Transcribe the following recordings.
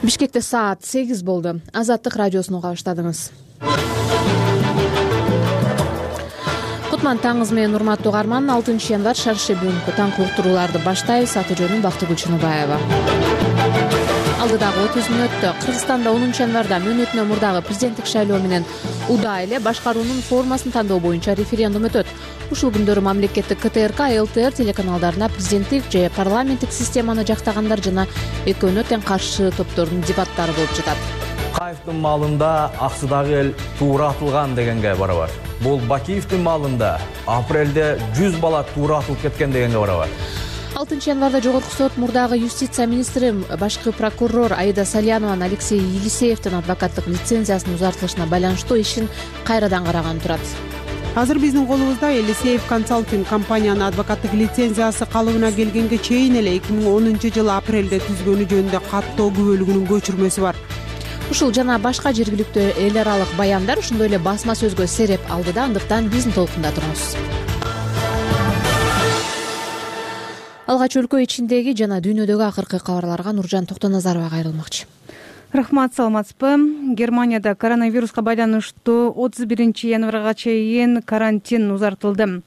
Бишкекте саат 8 болду. Азаттык радиосун уга баштадыңыз. Кутман таңыңыз менен урматтуу угарман. 6 январь шарше бүгүнкү таңкы уктурууларды баштайбыз. Аты жөнүм Бактыгүл Чыныбаева. Алдыдагы 30 мүнөттө Кыргызстанда 10 январда мөөнөтүнөн мурдагы президенттик шайлоо менен удаа эле башкаруунун формасын тандоо боюнча референдум өтөт. Ушул күндөрү мамлекеттик КТРК, ЛТР телеканалдарына президенттик же парламенттик системаны жактагандар жана экөөнө тең каршы топтордун дебаттары болуп жатат. Каевдин маалында аксыдагы эл туура атылган дегенге барабар. Бул Бакиевдин маалында апрелде 100 бала туура атылып кеткен дегенге барабар. 6 январда Жогорку сот мурдагы юстиция министри, башкы прокурор Аида Салянованын Алексей Елисеевдин адвокаттык лицензиясынын узартылышына байланыштуу ишин кайрадан караган турат. Азыр биздин колубузда Елисеев консалтинг компаниянын адвокаттык лицензиясы калыбына келгенге чейин эле 2010-жылы апрелде түзгөнү жөнүндө каттоо күбөлүгүнүн көчүрмөсү бар. Ушул жана башка жергиликтүү эл аралык баяндар ошондой эле басма сөзгө сереп алды да, андыктан биздин толкунда туруңуз. Алгач өлкө ичиндеги жана дүйнөдөгү акыркы кабарларга Нуржан Токтоназарова кайрылмакчы. Рахмат, саламатсызбы? Германияда коронавируска байланыштуу 31 январга чейин карантин узартылды.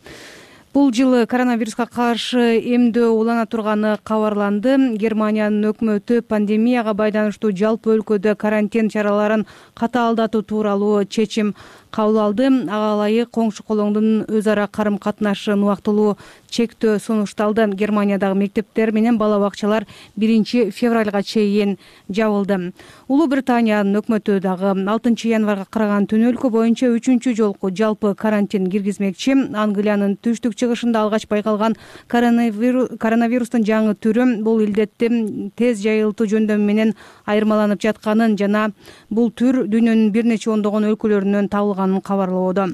Бул жылы коронавируска каршы эмдөө улана турганы кабарланды. Германиянын өкмөтү пандемияга байланыштуу жалпы өлкөдө карантин чараларын катаалдатуу тууралуу чечим кабыл алды. Ага ылайык коңшу колоңдун өз ара карым катнашын убактылуу чектөө сунушталды. Германиядагы мектептер менен бала бакчалар 1 февралга чейин жабылды. Улуу Британиянын өкмөтү дагы 6 январга караган түн өлкө боюнча 3 жолку жалпы карантин киргизмекчи. Англиянын түштүк чыгышында алгач байкалган коронавирустун жаңы түрү бул илдеттин тез жайылтуу жөндөмү менен айырмаланып жатканын жана бул түр дүйнөнүн бир нече ондогон өлкөлөрүнөн табылганын кабарлоодо.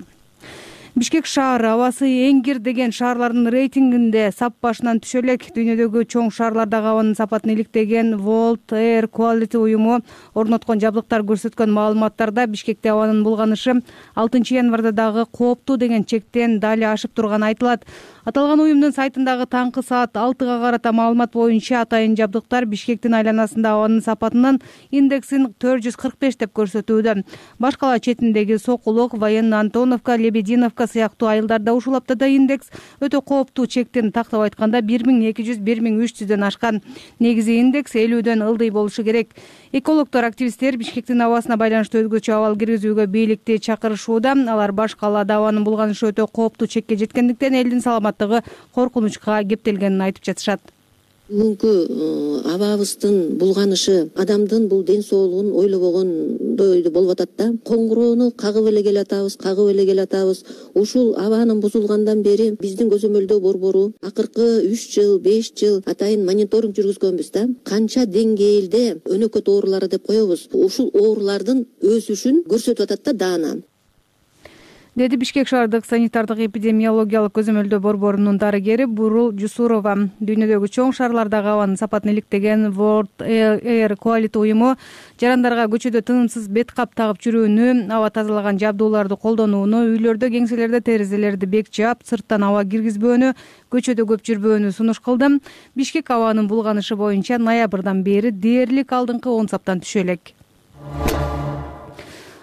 Бишкек шаары абасы эң кир деген шаарлардын рейтингинде сап башынан түшө элек. Дүйнөдөгү чоң шаарлардагы абанын сапатын иликтеген World Air Quality уюму орноткон жабдыктар көрсөткөн маалыматтарда Бишкекте абанын булганышы 6 январда дагы кооптуу деген чектен дали ашып турганы айтылат. Аталган уюмдун сайтындагы таңкы саат 6га карата маалымат боюнча атайын жабдыктар Бишкектин айланасында абанын сапатынын индексин 445 деп көрсөтүүдө. Башкала четиндеги Сокулок, Военно Антоновка, Лебединовка сыяктуу айылдарда ушул аптада индекс өтө кооптуу чектин тактап айтканда 1200-1300дөн ашкан. Негизи индекс 50дөн ылдый болушу керек. Экологдор, активисттер Бишкектин абасына байланыштуу өзгөчө абал киргизүүгө бийликти чакырышууда. Алар башкалада абанын булганышы өтө кооптуу чекке жеткендиктен элдин саламаттыгы коркунучка кептелгенин айтып жатышат. Бүгүнкү абабыздын булганышы адамдын бул ден соолугун ойлобогондой болуп атат да. Коңгуроону кагып эле келатабыз. Ушул абанын бузулгандан бери биздин көзөмөлдөө борбору акыркы 3 жыл, 5 жыл атайын мониторинг жүргүзгөнбүз да. Канча деңгээлде өнөкөт оорулары деп коебуз. Ушул оорулардын өсүшүн көрсөтүп атат да даана. Деди Бишкек шаардык санитардык эпидемиологиялык көзөмөлдөө борборунун дарыгери Бурул Жусурова. Дүйнөдөгү чоң шаарлардагы абанын сапатын иликтеген World Air Quality уюму жарандарга көчөдө тынымсыз бет кап тагып жүрүүнү, аба тазалаган жабдууларды колдонууну, үйлөрдө, кеңселерде терезелерди бек жаап, сырттан аба киргизбөөнү, көчөдө көп жүрбөөнү сунуш кылды. Бишкек абанын булганышы боюнча ноябрдан бери дээрлик алдыңкы 10 саптан түшө элек.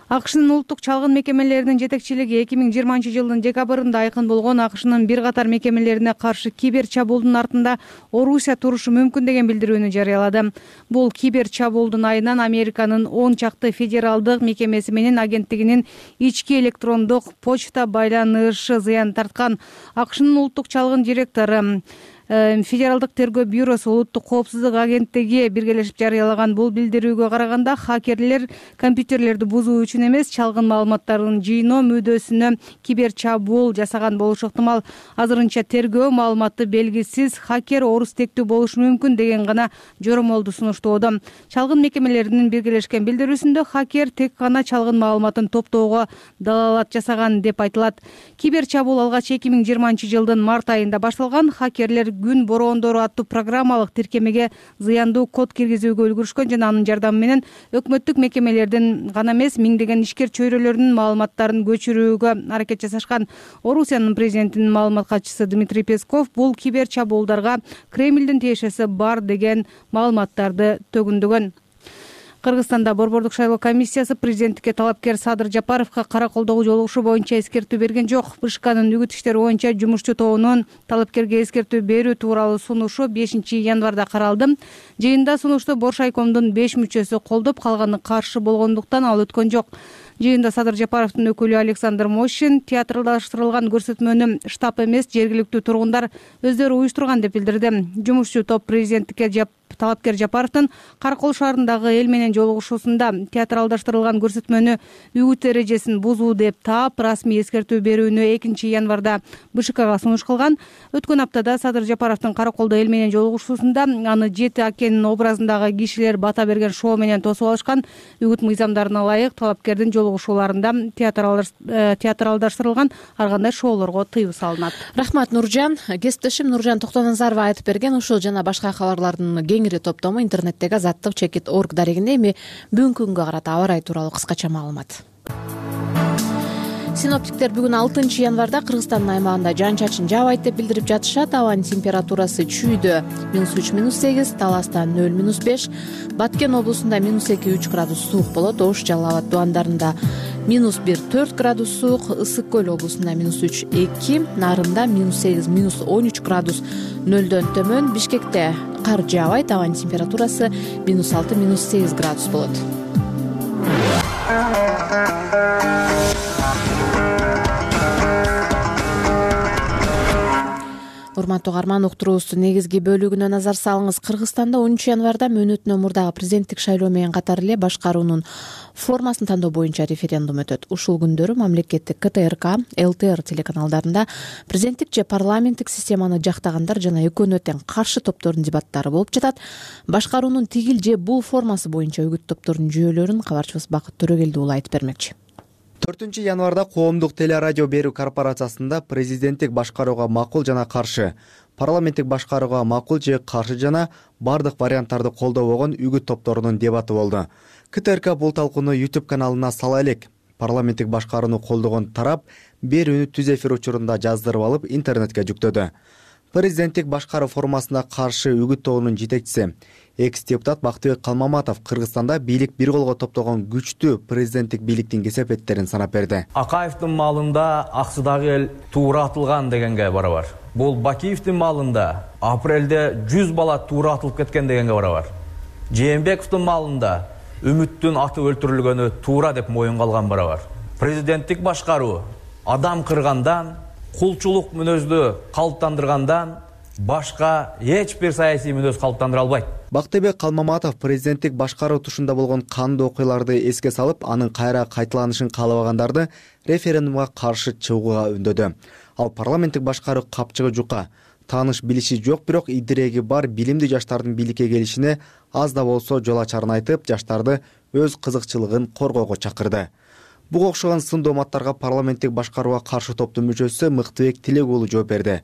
АКШнын улуттук чалгын мекемелеринин жетекчилиги 2020 жылдын декабрында айкын болгон АКШнын бир катар мекемелерине каршы кибер чабуулдун артында Орусия турушу мүмкүн деген билдирүүнү жарыялады. Бул кибер чабуулдун айынан Американын 10 чакты федералдык мекемеси менен агенттигинин ички электрондук почта байланышы зыян тарткан. АКШнын улуттук чалгын директору Федералдык тергөө бюросу улуттук коопсуздук агенттиги биргелешип жарыялаган бул билдирүүгө караганда хакерлер компьютерлерди бузуу үчүн эмес, чалгын маалыматтарын жыйноо мүддөсүнө кибер чабуул жасаган болушу ыктымал. Азырынча тергөө маалыматты белгисиз хакер орус тектүү болушу мүмкүн деген гана жоромолду сунуштоодо. Чалгын мекемелеринин биргелешкен билдирүүсүндө хакер тек гана чалгын маалыматын топтоого далалат жасаган деп айтылат. Кибер чабуул алгач 2020 жылдын март айында башталган. Хакерлер күн бороондору аттуу программалык тиркемеге зыяндуу код киргизүүгө үлгүрүшкөн жана анын жардамы менен өкмөттүк мекемелердин гана эмес, миңдеген ишкер чөйрөлөрүнүн маалыматтарын көчүрүүгө аракет жасашкан. Орусиянын президентинин маалымат катчысы Дмитрий Песков бул кибер чабуулдарга Кремлдин тиешеси бар деген маалыматтарды төгүндөгөн. Кыргызстанда Борбордук шайлоо комиссиясы президенттикке талапкер Садыр Жапаровго караколдогу жолугушуу боюнча эскертүү берген жок. БШКнын үгүт иштери боюнча жумушчу тобунун талапкерге эскертүү берүү тууралуу сунушу 5 январда каралды. Жыйында сунушту Бош айкомдун 5 мүчөсү колдоп, калганы каршы болгондуктан ал өткөн жок. Жыйында Садыр Жапаровдун өкүлү Александр Мощин театралдаштырылган көрсөтмөнү штаб эмес, жергиликтүү тургундар өздөрү уюштурган деп билдирди. Жумушчу топ президенттикке талапкер Жапаровдун Каракол шаарындагы эл менен жолугушуусунда театралдаштырылган көрсөтмөнү үгүт эрежесин бузуу деп таап, расмий эскертүү берүүнү 2 январда БШКга сунуш кылган. Өткөн аптада Садыр Жапаровдун Караколдо эл менен жолугушуусунда аны Жети Акенин образындагы кишилер бата берген шоу менен тосуп алышкан. Үгүт мыйзамдарына ылайык талапкердин жолугушууларында театралдаштырылган ар кандай шоулорго тыюу салынат. Рахмат, Нуржан. Кесиптешим Нуржан Токтоназарова айтып берген ушул жана башка кабарлардын кеңири топтому интернеттеги azаттык.org дарегинде. Эми бүгүнкү күнгө карата аба ырайы тууралуу кыскача маалымат. Синоптиктер бүгүн 6 январда Кыргызстандын аймагында жаан-чачын жаабайт деп билдирип жатышат. Абанын температурасы Чүйдө -3, -8, Таласта 0, -5, Баткен облусунда -2-3 градус суук болот. Ош, Жалал Абад дубандарында -1-4 градус суук, Ысык көл облусунда -3-2, Нарында -8, -13 градус нөлдөн төмөн. Бишкекте кар жаабайт, абанын температурасы -6, -8 градус болот. Урматтуу угарман, уктуруубуздун негизги бөлүгүнө назар салыңыз. Кыргызстанда 10 январда мөөнөтүнөн мурдагы президенттик шайлоо менен катар эле башкаруунун формасын тандоо боюнча референдум өтөт. Ушул күндөрү мамлекеттик КТРК, ЛТР телеканалдарында президенттик же парламенттик системаны жактагандар жана экөөнүнө тең каршы топтордун дебаттары болуп жатат. Башкаруунун тигил же бул формасы боюнча үгүт топторунун жүйөлөрүн кабарчыбыз Бакыт Төрөгелди уулу айтып бермекчи. 4 январда коомдук телерадио берүү корпорациясында президенттик башкарууга макул жана каршы, парламенттик башкарууга макул же каршы жана бардык варианттарды колдобогон үгүт топторунун дебаты болду. КТРК бул талкууну YouTube каналына сала элек. Парламенттик башкарууну колдогон тарап берүүнү түз эфир учурунда жаздырып алып интернетке жүктөдү. Президенттик башкаруу формасына каршы үгүт тобунун жетекчиси, экс-депутат Бактыбек Калмаматов Кыргызстанда бийлик бир колго топтогон күчтүү президенттик бийликтин кесепеттерин санап берди. Акаевдин маалында аксыдагы эл туура атылган дегенге барабар. Бул Бакиевдин маалында апрелде 100 бала туура атылып кеткен дегенге барабар. Жээнбековдун маалында үмүттүн аты өлтүрүлгөнү туура деп моюнга алган барабар. Президенттик башкаруу адам кыргандан, кулчулук мүнөздү калыптандыргандан башка эч бир саясий мүнөз калыптандыра албайт. Бактыбек Калмаматов президенттик башкаруу тушунда болгон кандуу окуяларды эске салып, анын кайра кайталанышын каалабагандарды референдумга каршы чыгууга үндөдү. Ал парламенттик башкаруу капчыгы жука, тааныш билиши жок, бирок идиреги бар билимдүү жаштардын бийликке келишине аз да болсо жол ачарын айтып, жаштарды өз кызыкчылыгын коргоого чакырды. Буга окшогон сын дооматтарга парламенттик башкарууга каршы топтун мүчөсү Мыктыбек Тилек уулу жооп берди.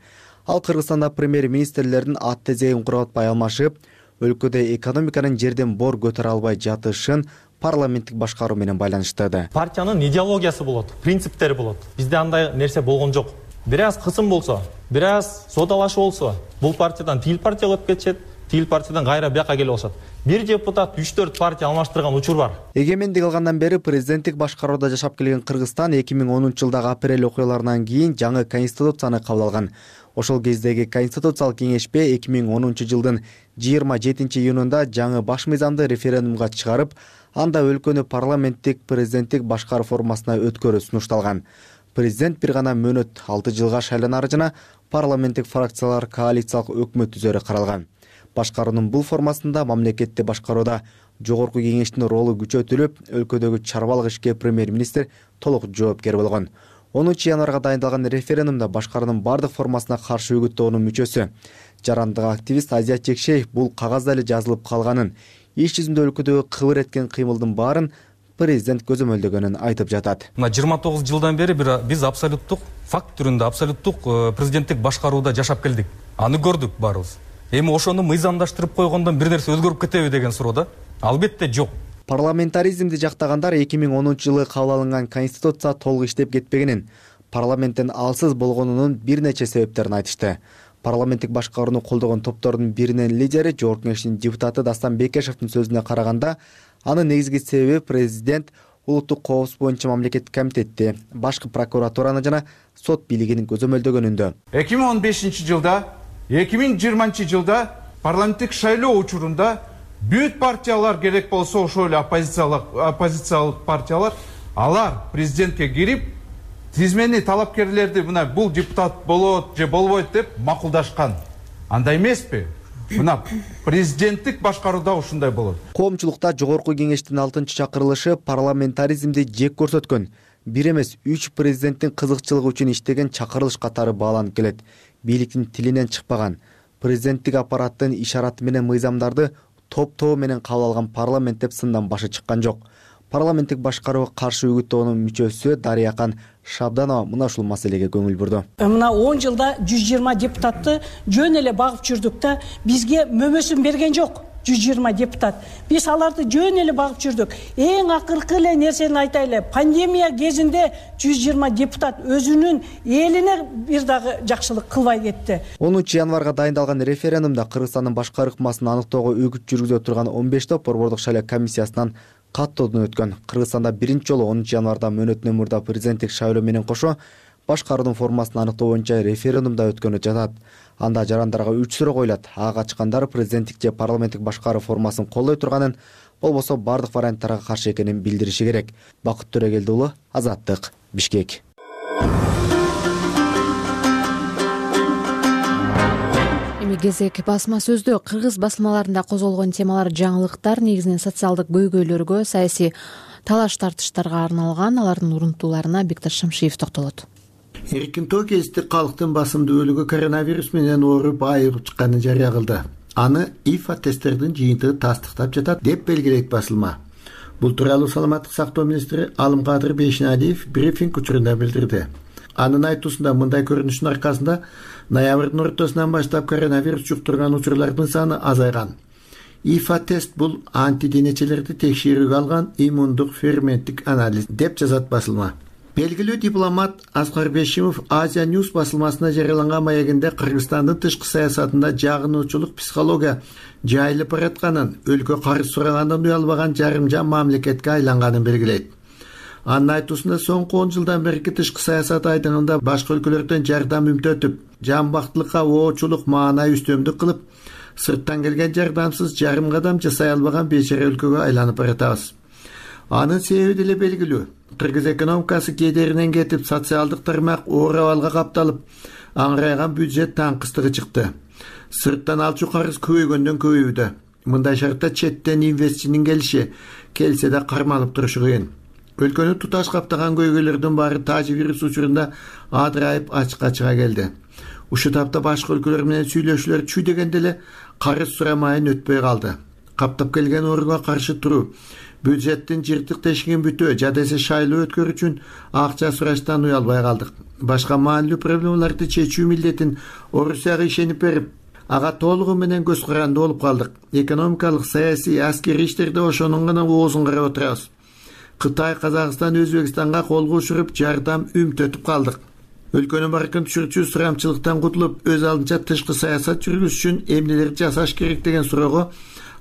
Ал Кыргызстанда премьер-министрлердин ат тезегин кургатпай алмашып, өлкөдө экономиканын жерден бор көтөрө албай жатышын парламенттик башкаруу менен байланыштырды. Партиянын идеологиясы болот, принциптери болот. Бизде андай нерсе болгон жок. Бир аз кысым болсо, бир аз содалашуу болсо, бул партиядан тил партияга өтүп кетишет, тил партиядан кайра бияка келип алышат. Бир депутат 3-4 партия алмаштырган учур бар. Эгемендик алгандан бери президенттик башкарууда жашап келген Кыргызстан 2010-жылдагы апрель окуяларынан кийин жаңы конституцияны кабыл алган. Ошол кездеги конституциялык кеңешпе 2010-жылдын 27-июнунда жаңы баш мыйзамды референдумга чыгарып, анда өлкөнү парламенттик президенттик башкаруу формасына өткөрүү сунушталган. Президент бир гана мөөнөт 6 жылга шайланары жана парламенттик фракциялар коалициялык өкмөт түзөрү каралган. Башкаруунун бул формасында мамлекетти башкарууда жогорку кеңештин ролу күчөтүлүп, өлкөдөгү чарбалык ишке премьер-министр толук жоопкер болгон. 10 январга дайындалган референдумда башкаруунун бардык формасына каршы үгүт тобунун мүчөсү, жарандык активист Азият Чекшеев бул кагазда эле жазылып калганын, иш жүзүндө өлкөдөгү кыбыр эткен кыймылдын баарын президент көзөмөлдөгөнүн айтып жатат. Мына 29 жылдан бери биз абсолюттук факт түрүндө абсолюттук президенттик башкарууда жашап келдик. Аны көрдүк баарыбыз. Эми ошону мыйзамдаштырып койгондон бир нерсе өзгөрүп кетеби деген суроо да? Албетте жок. Парламентаризмди жактагандар 2010-жылы кабыл алынган конституция толук иштеп кетпегенин, парламенттен алсыз болгонунун бир нече себептерин айтышты. Парламенттик башкарууну колдогон топтордун биринин лидери Жогорку Кеңештин депутаты Дастан Бекешевдин сөзүнө караганда, анын негизги себеби президент улуттук коопсуздук боюнча мамлекеттик комитетти, башкы прокуратураны жана сот бийлигин көзөмөлдөгөнүндө. 2015 жылда, 2020 жылда парламенттик шайлоо учурунда бүт партиялар керек болсо ошол эле оппозициялык партиялар алар президентке кирип тизмени талапкерлерди мына бул депутат болот же болбойт деп макулдашкан. Андай эмеспи? Мына президенттик башкарууда ушундай болот. Коомчулукта Жогорку Кеңештин 6-чакырылышы парламентаризмди жек көрсөткөн, бир эмес 3 президенттин кызыкчылыгы үчүн иштеген чакырылыш катары бааланып келет. Бийликтин тилинен чыкпаган, президенттик аппараттын ишараты менен мыйзамдарды топ-тобу менен кабыл алган парламент деп сындан башы чыккан жок. Парламенттик башкарууга каршы үгүт тобунун мүчөсү Дарыякан Шабданова мына ушул маселеге көңүл бурду. Мына 10 жылда 120 депутатты жөн эле багып жүрдүк да, бизге мөмөсүн берген жок. 120 депутат. Биз аларды жөн эле багып жүрдүк. Эң акыркы эле нерсени айтайлы. Пандемия кезинде 120 депутат өзүнүн элине бир дагы жакшылык кылбай кетти. 10 январга дайындалган референдумда Кыргызстандын башкы ыкмасын аныктоого үгүт жүргүзө турган 15 топ борбордук шайлоо комиссиясынан каттоодон өткөн. Кыргызстанда биринчи жолу 10 январда мөөнөтүнөн мурда президенттик шайлоо менен кошо башкаруунун формасын аныктоо боюнча референдумда өткөнү жатат. Анда жарандарга 3 суроо коюлат. Ага качкандар президенттик же парламенттик башкаруу формасын колдой турганын, болбосо бардык варианттарга каршы экенин билдириши керек. Бакыт Төрөгелди уулу, Азаттык, Бишкек. Эми кезек басма сөздө. Кыргыз басмаларында козголгон темалар жаңылыктар, негизинен социалдык көйгөйлөргө, саясий талаш-тартыштарга арналган. Алардын урунтууларына Бикташ Шамшиев токтолот. Эркин Токестик калктын басымдуулугу коронавирус менен ооруп айыгып чыкканын жарыя кылды. Аны ИФА тесттердин жыйынтыгы тастыктап жатат деп белгилейт басылма. Бул тууралуу саламаттык сактоо министри Алымкадыр Бейшеналиев брифинг учурунда билдирди. Анын айтуусунда мындай көрүнүштүн аркасында ноябрдын ортосунан баштап коронавирус жуктурган учурлардын саны азайган. ИФА тест бул антиденечелерди текшерүүгө алган иммундук ферменттик анализ деп жазат басылма. Белгилүү дипломат Аскар Бешимов Азия Ньюс басылмасына жарыяланган маегинде Кыргызстандын тышкы саясатында жагынуучулук психология жайылып баратканын, өлкө карыз сурагандан уялбаган жарымжан мамлекетке айланганын белгилейт. Анын айтуусунда соңку 10 жылдан берки тышкы саясат айдыңында башка өлкөлөрдөн жардам үмүтөтүп, жамбактылыкка оочулук маанай үстөмдүк кылып, сырттан келген жардамсыз жарым кадам жасай албаган бечара өлкөгө айланып баратабыз. Анын себеби деле белгилүү. Кыргыз экономикасы кедеринен кетип, социалдык тармак оор абалга капталып, аңырайган бюджет таңкыстыгы чыкты. Сырттан алчу карыз көбөйгөндөн көбөйүүдө. Мындай шартта четтен инвестчинин келсе да кармалып турушу кыйын. Өлкөнү туташ каптаган көйгөйлөрдүн баары тажи вирус учурунда адырайып ачыкка чыга келди. Ушул тапта башка өлкөлөр менен сүйлөшүүлөр чүй дегенде эле карыз сурамайын өтпөй калды. Каптап келген ооруга каршы туруу, бюджеттин жыртык тешигин бүтөө, жадесе шайлоо өткөрүү үчүн акча сураштан уялбай калдык. Башка маанилүү проблемаларды чечүү милдетин Орусияга ишенип берип, ага толугу менен көз каранды болуп калдык. Экономикалык, саясий, аскерий иштерде ошонун гана оозун карап отурабыз. Кытай, Казакстан, Өзбекстанга колго учуруп, жардам үмүтөтүп калдык. Өлкөнүн баркын түшүрүүчү сурамчылыктан кутулуп, өз алдынча тышкы саясат жүргүзүш үчүн эмнелер жасаш керек деген суроого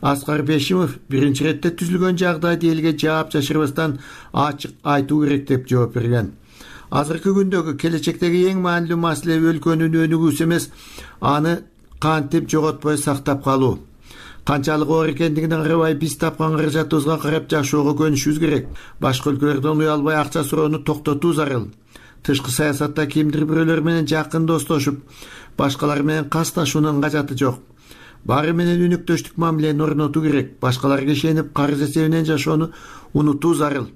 Аскар Бешимов биринчи иретте түзүлгөн жагдайды элге жаап жашырбастан ачык айтуу керек деп жооп берген. Азыркы күндөгү, келечектеги эң маанилүү маселе өлкөнүн өнүгүүсү эмес, аны кантип жоготпой сактап калуу. Канчалык оор экендигине карабай, биз тапкан каражатыбызга карап жашоого көнүшүбүз керек. Башка өлкөлөрдөн уялбай акча суроону токтотуу зарыл. Тышкы саясатта кимдир бирөөлөр менен жакын достошуп, башкалар менен касташуунун кажаты жок. Баары менен өнөктөштүк мамилени орнотуу керек. Башкаларга ишенип, карыз эсебинен жашоону унутуу зарыл.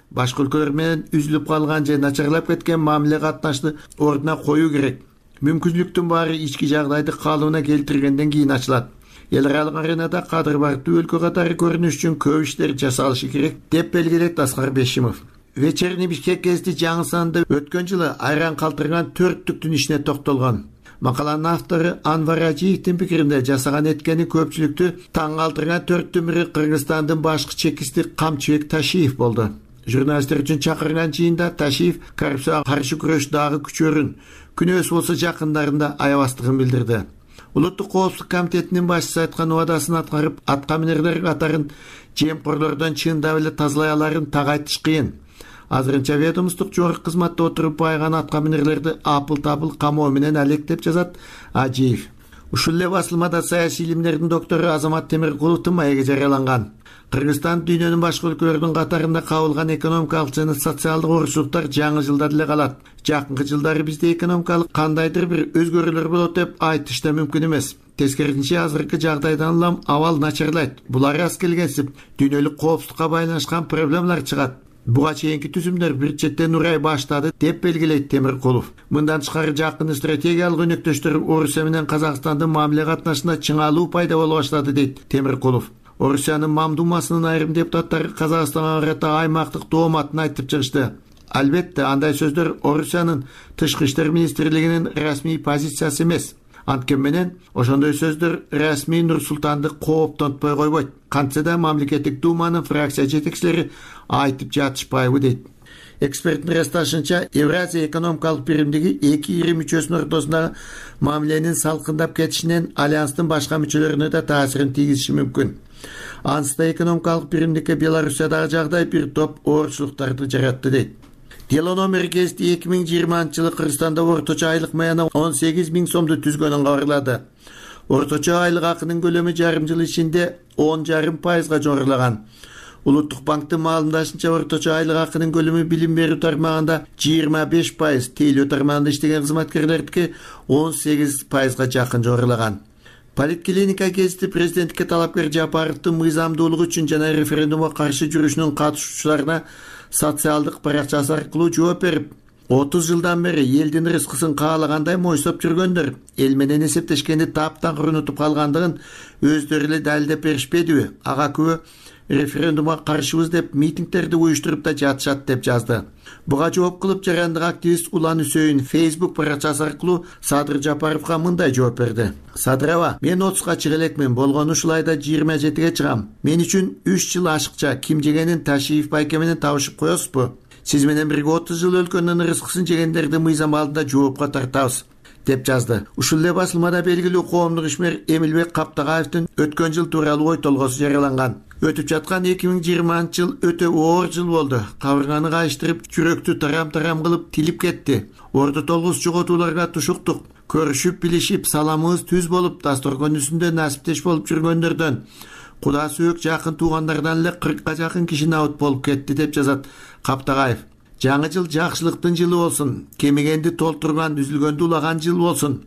Башка өлкөлөр менен үзүлүп калган же начарлап кеткен мамиле катнашты ордуна коюу керек. Мүмкүнчүлүктүн баары ички жагдайды калыбына келтиргенден кийин ачылат. Эл аралык аренада кадыр бардуу өлкө катары көрүнүш үчүн көп иштер жасалышы керек деп белгилейт Аскар Бешимов. Вечерний Бишкек гезити жаңы санында өткөн жылы айран калтырган 4 түктүн ишине токтолгон. Макаланын автору Анвар Ажиевдин пикиринде жасаган эткени көпчүлүктү таң калтырган 4-түн бири Кыргызстандын башкы чекисти Камчыбек Ташиев болду. Журналисттер үчүн чакырган жыйында Ташиев коррупцияга каршы күрөш дагы күчөрүн, күнөөсү болсо жакындарында аябастыгын билдирди. Улуттук коопсуздук комитетинин башчысы айткан убадасын аткарып, аткаминерлер катарын жемкорлордон чындап эле тазалай аларын так айтыш кыйын. Азырынча ведомстволук жогорку кызматта отуруп байган аткаминерлерди апыл-табыл камоо менен алек деп жазат Ажиев. Ушул эле басылмада саясий илимдердин доктору Азамат Темиркуловдун маеги жарыяланган. Кыргызстан дүйнөнүн башка өлкөлөрдүн катарында кабылган экономикалык жана социалдык орушуктар жаңы жылда деле калат. Жакынкы жылдары бизде экономикалык кандайдыр бир өзгөрүүлөр болот деп айтыш да мүмкүн эмес. Тескерисинче азыркы жагдайдан улам абал начарлайт. Булар аз келгенсип дүйнөлүк коопсуздукка байланышкан проблемалар чыгат. Буга чейинки түзүмдөр бир четтен урай баштады деп белгилейт Темиркулов. Мындан тышкары жакын стратегиялык өнөктөштөр Орусия менен Казакстандын мамиле катнашында чыңалуу пайда боло баштады дейт Темиркулов. Орусиянын Мамдумасынын айрым депутаттары Казакстанга карата аймактык дооматын айтып чыгышты. Албетте, андай сөздөр Орусиянын тышкы иштер министрлигинин расмий позициясы эмес. Анткени менен ошондой сөздөр расмий Нур-Султанды кооптонтпой койбойт. Кантсе да мамлекеттик думанын фракция жетекчилери айтып жатышпайбы дейт. Эксперттин ырасташынча, Евразия экономикалык биримдиги эки ири мүчөсүнүн ортосундагы мамиленин салкындап кетишинен альянстын башка мүчөлөрүнө да таасирин тийгизиши мүмкүн. Анысында экономикалык биримдикке Белоруссиядагы жагдай бир топ оорчулуктарды жаратты дейт. Дело номер кести 2020-жылы Кыргызстанда орточо айлык маяна 18 000 сомду түзгөнүн кабарлады. Орточо айлык акынын көлөмү жарым жыл ичинде 10,5% жорулаган. Улуттук банктын маалымдашынча орточо айлык акынын көлөмү билим берүү тармагында 25%, тейлөө тармагында иштеген кызматкерлердики 18%га жакын жорулаган. Политклиника гезити президенттикке талапкер Жапаровдун мыйзамдуулугу үчүн жана референдумга каршы жүрүшүнүн катышуучуларына социалдык баракчасы аркылуу жооп берип, 30 жылдан бери элдин рызкысын каалагандай мойсоп жүргөндөр эл менен эсептешкенди таптан унутуп калгандыгын өздөрү эле далилдеп беришпедиби? Ага күбө референдумга каршыбыз деп митингдерди уюштуруп да жатышат деп жазды. Буга жооп кылып жарандык активист Улан Үсөйүн Facebook баракчасы аркылуу Садыр Жапаровго мындай жооп берди. Садыр аба, мен 30га чыга элекмин, болгону ушул айда 27ге чыгам. Мен үчүн 3 жыл ашыкча Ким жегенин Ташиев байке менен табышып коесузбу? Сиз менен бирге 30 жыл өлкөнүн рызкысын жегендерди мыйзам алдында жоопко тартабыз деп жазды. Ушул эле басылмада белгилүү коомдук ишмер Эмилбек Каптагаевдин өткөн жыл тууралуу ой толгосу жарыяланган. Өтүп жаткан 2020-жыл өтө оор жыл болду. Кабырганы кайыштырып, жүрөктү тарам-тарам кылып тилип кетти. Орду толгус жоготууларга тушуктук. Көрүшүп, билишип, саламыбыз түз болуп, дасторкон үстүндө насиптеш болуп жүргөндөрдөн, Куда сүйөк жакын туугандардан эле 40га жакын киши набыт болуп кетти деп жазат Каптагаев. Жаңы жыл жакшылыктын жылы болсун, кемигенди толтурган, үзүлгөндү улаган жыл болсун.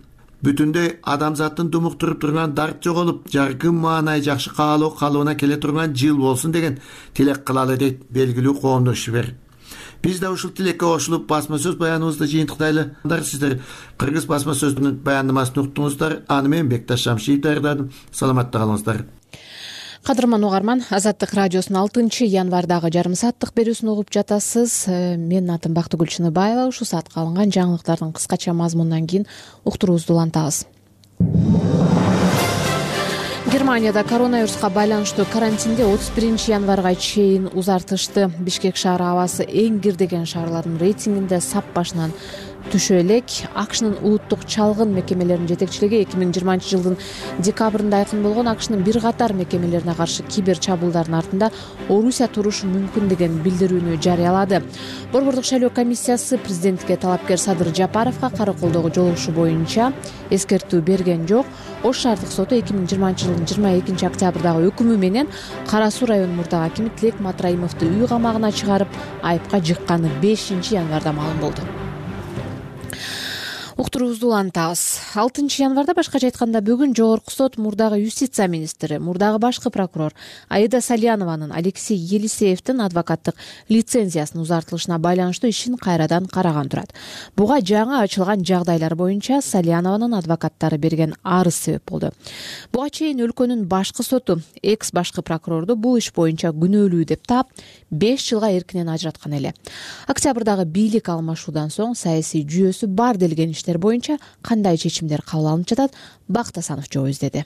Бүтүндөй адамзаттын думуктуруп турган дарт жоголуп, жаркын маанай жакшы каалоо калыбына келе турган жыл болсун деген тилек кылалы дейт белгилүү коомдук ишмер. Биз да ушул тилекке кошулуп басма сөз баяныбызды жыйынтыктайлы. Сиздер Кыргыз басма сөзүнүн баяндамасын уктуңуздар. Аны мен Бекташ Шамшиев даярдадым. Саламатта калыңыздар. Кадырман угарман, Азаттык радиосунун 6-январдагы жарым сааттык берүүсүн угуп жатасыз. Менин атым Бактыгүл Чыныбаева. Ушул саатка алынган жаңылыктардын кыскача мазмунунан кийин уктуруубузду улантабыз. Германияда коронавируска байланыштуу карантинди 31 январга чейин узартышты. Бишкек шаары абасы эң кирдеген шаарлардын рейтингинде сап башынан түшө элек. АКШнын улуттук чалгын мекемелеринин жетекчилиги 2020 жылдын декабрында айкын болгон АКШнын бир катар мекемелерине каршы кибер чабуулдардын артында Орусия турушу мүмкүн деген билдирүүнү жарыялады. Борбордук шайлоо комиссиясы президенттикке талапкер Садыр Жапаровго караколдогу жолугушуу боюнча эскертүү берген жок. Ош шаардык соту 2020 жылдын 22 октябрдагы өкүмү менен Кара Суу районунун мурдагы акими Тилек Матраимовду үй камагына чыгарып, айыпка жыкканы 5 январда маалым болду. Уктуруубузду улантабыз. 6 январда башкача айтканда бүгүн жогорку сот мурдагы юстиция министри, мурдагы башкы прокурор Аида Салянованын Алексей Елисеевдин адвокаттык лицензиясынын узартылышына байланыштуу ишин кайрадан караган турат. Буга жаңы ачылган жагдайлар боюнча Салянованын адвокаттары берген арыз себеп болду. Буга чейин өлкөнүн башкы соту экс башкы прокурорду бул иш боюнча күнөөлүү деп таап 5 жылга эркинен ажыраткан эле. Октябрдагы бийлик алмашуудан соң саясий жүйөсү бар делген иштер боюнча кандай чечимдер кабыл алынып жатат? Бактасанов жооп издеди.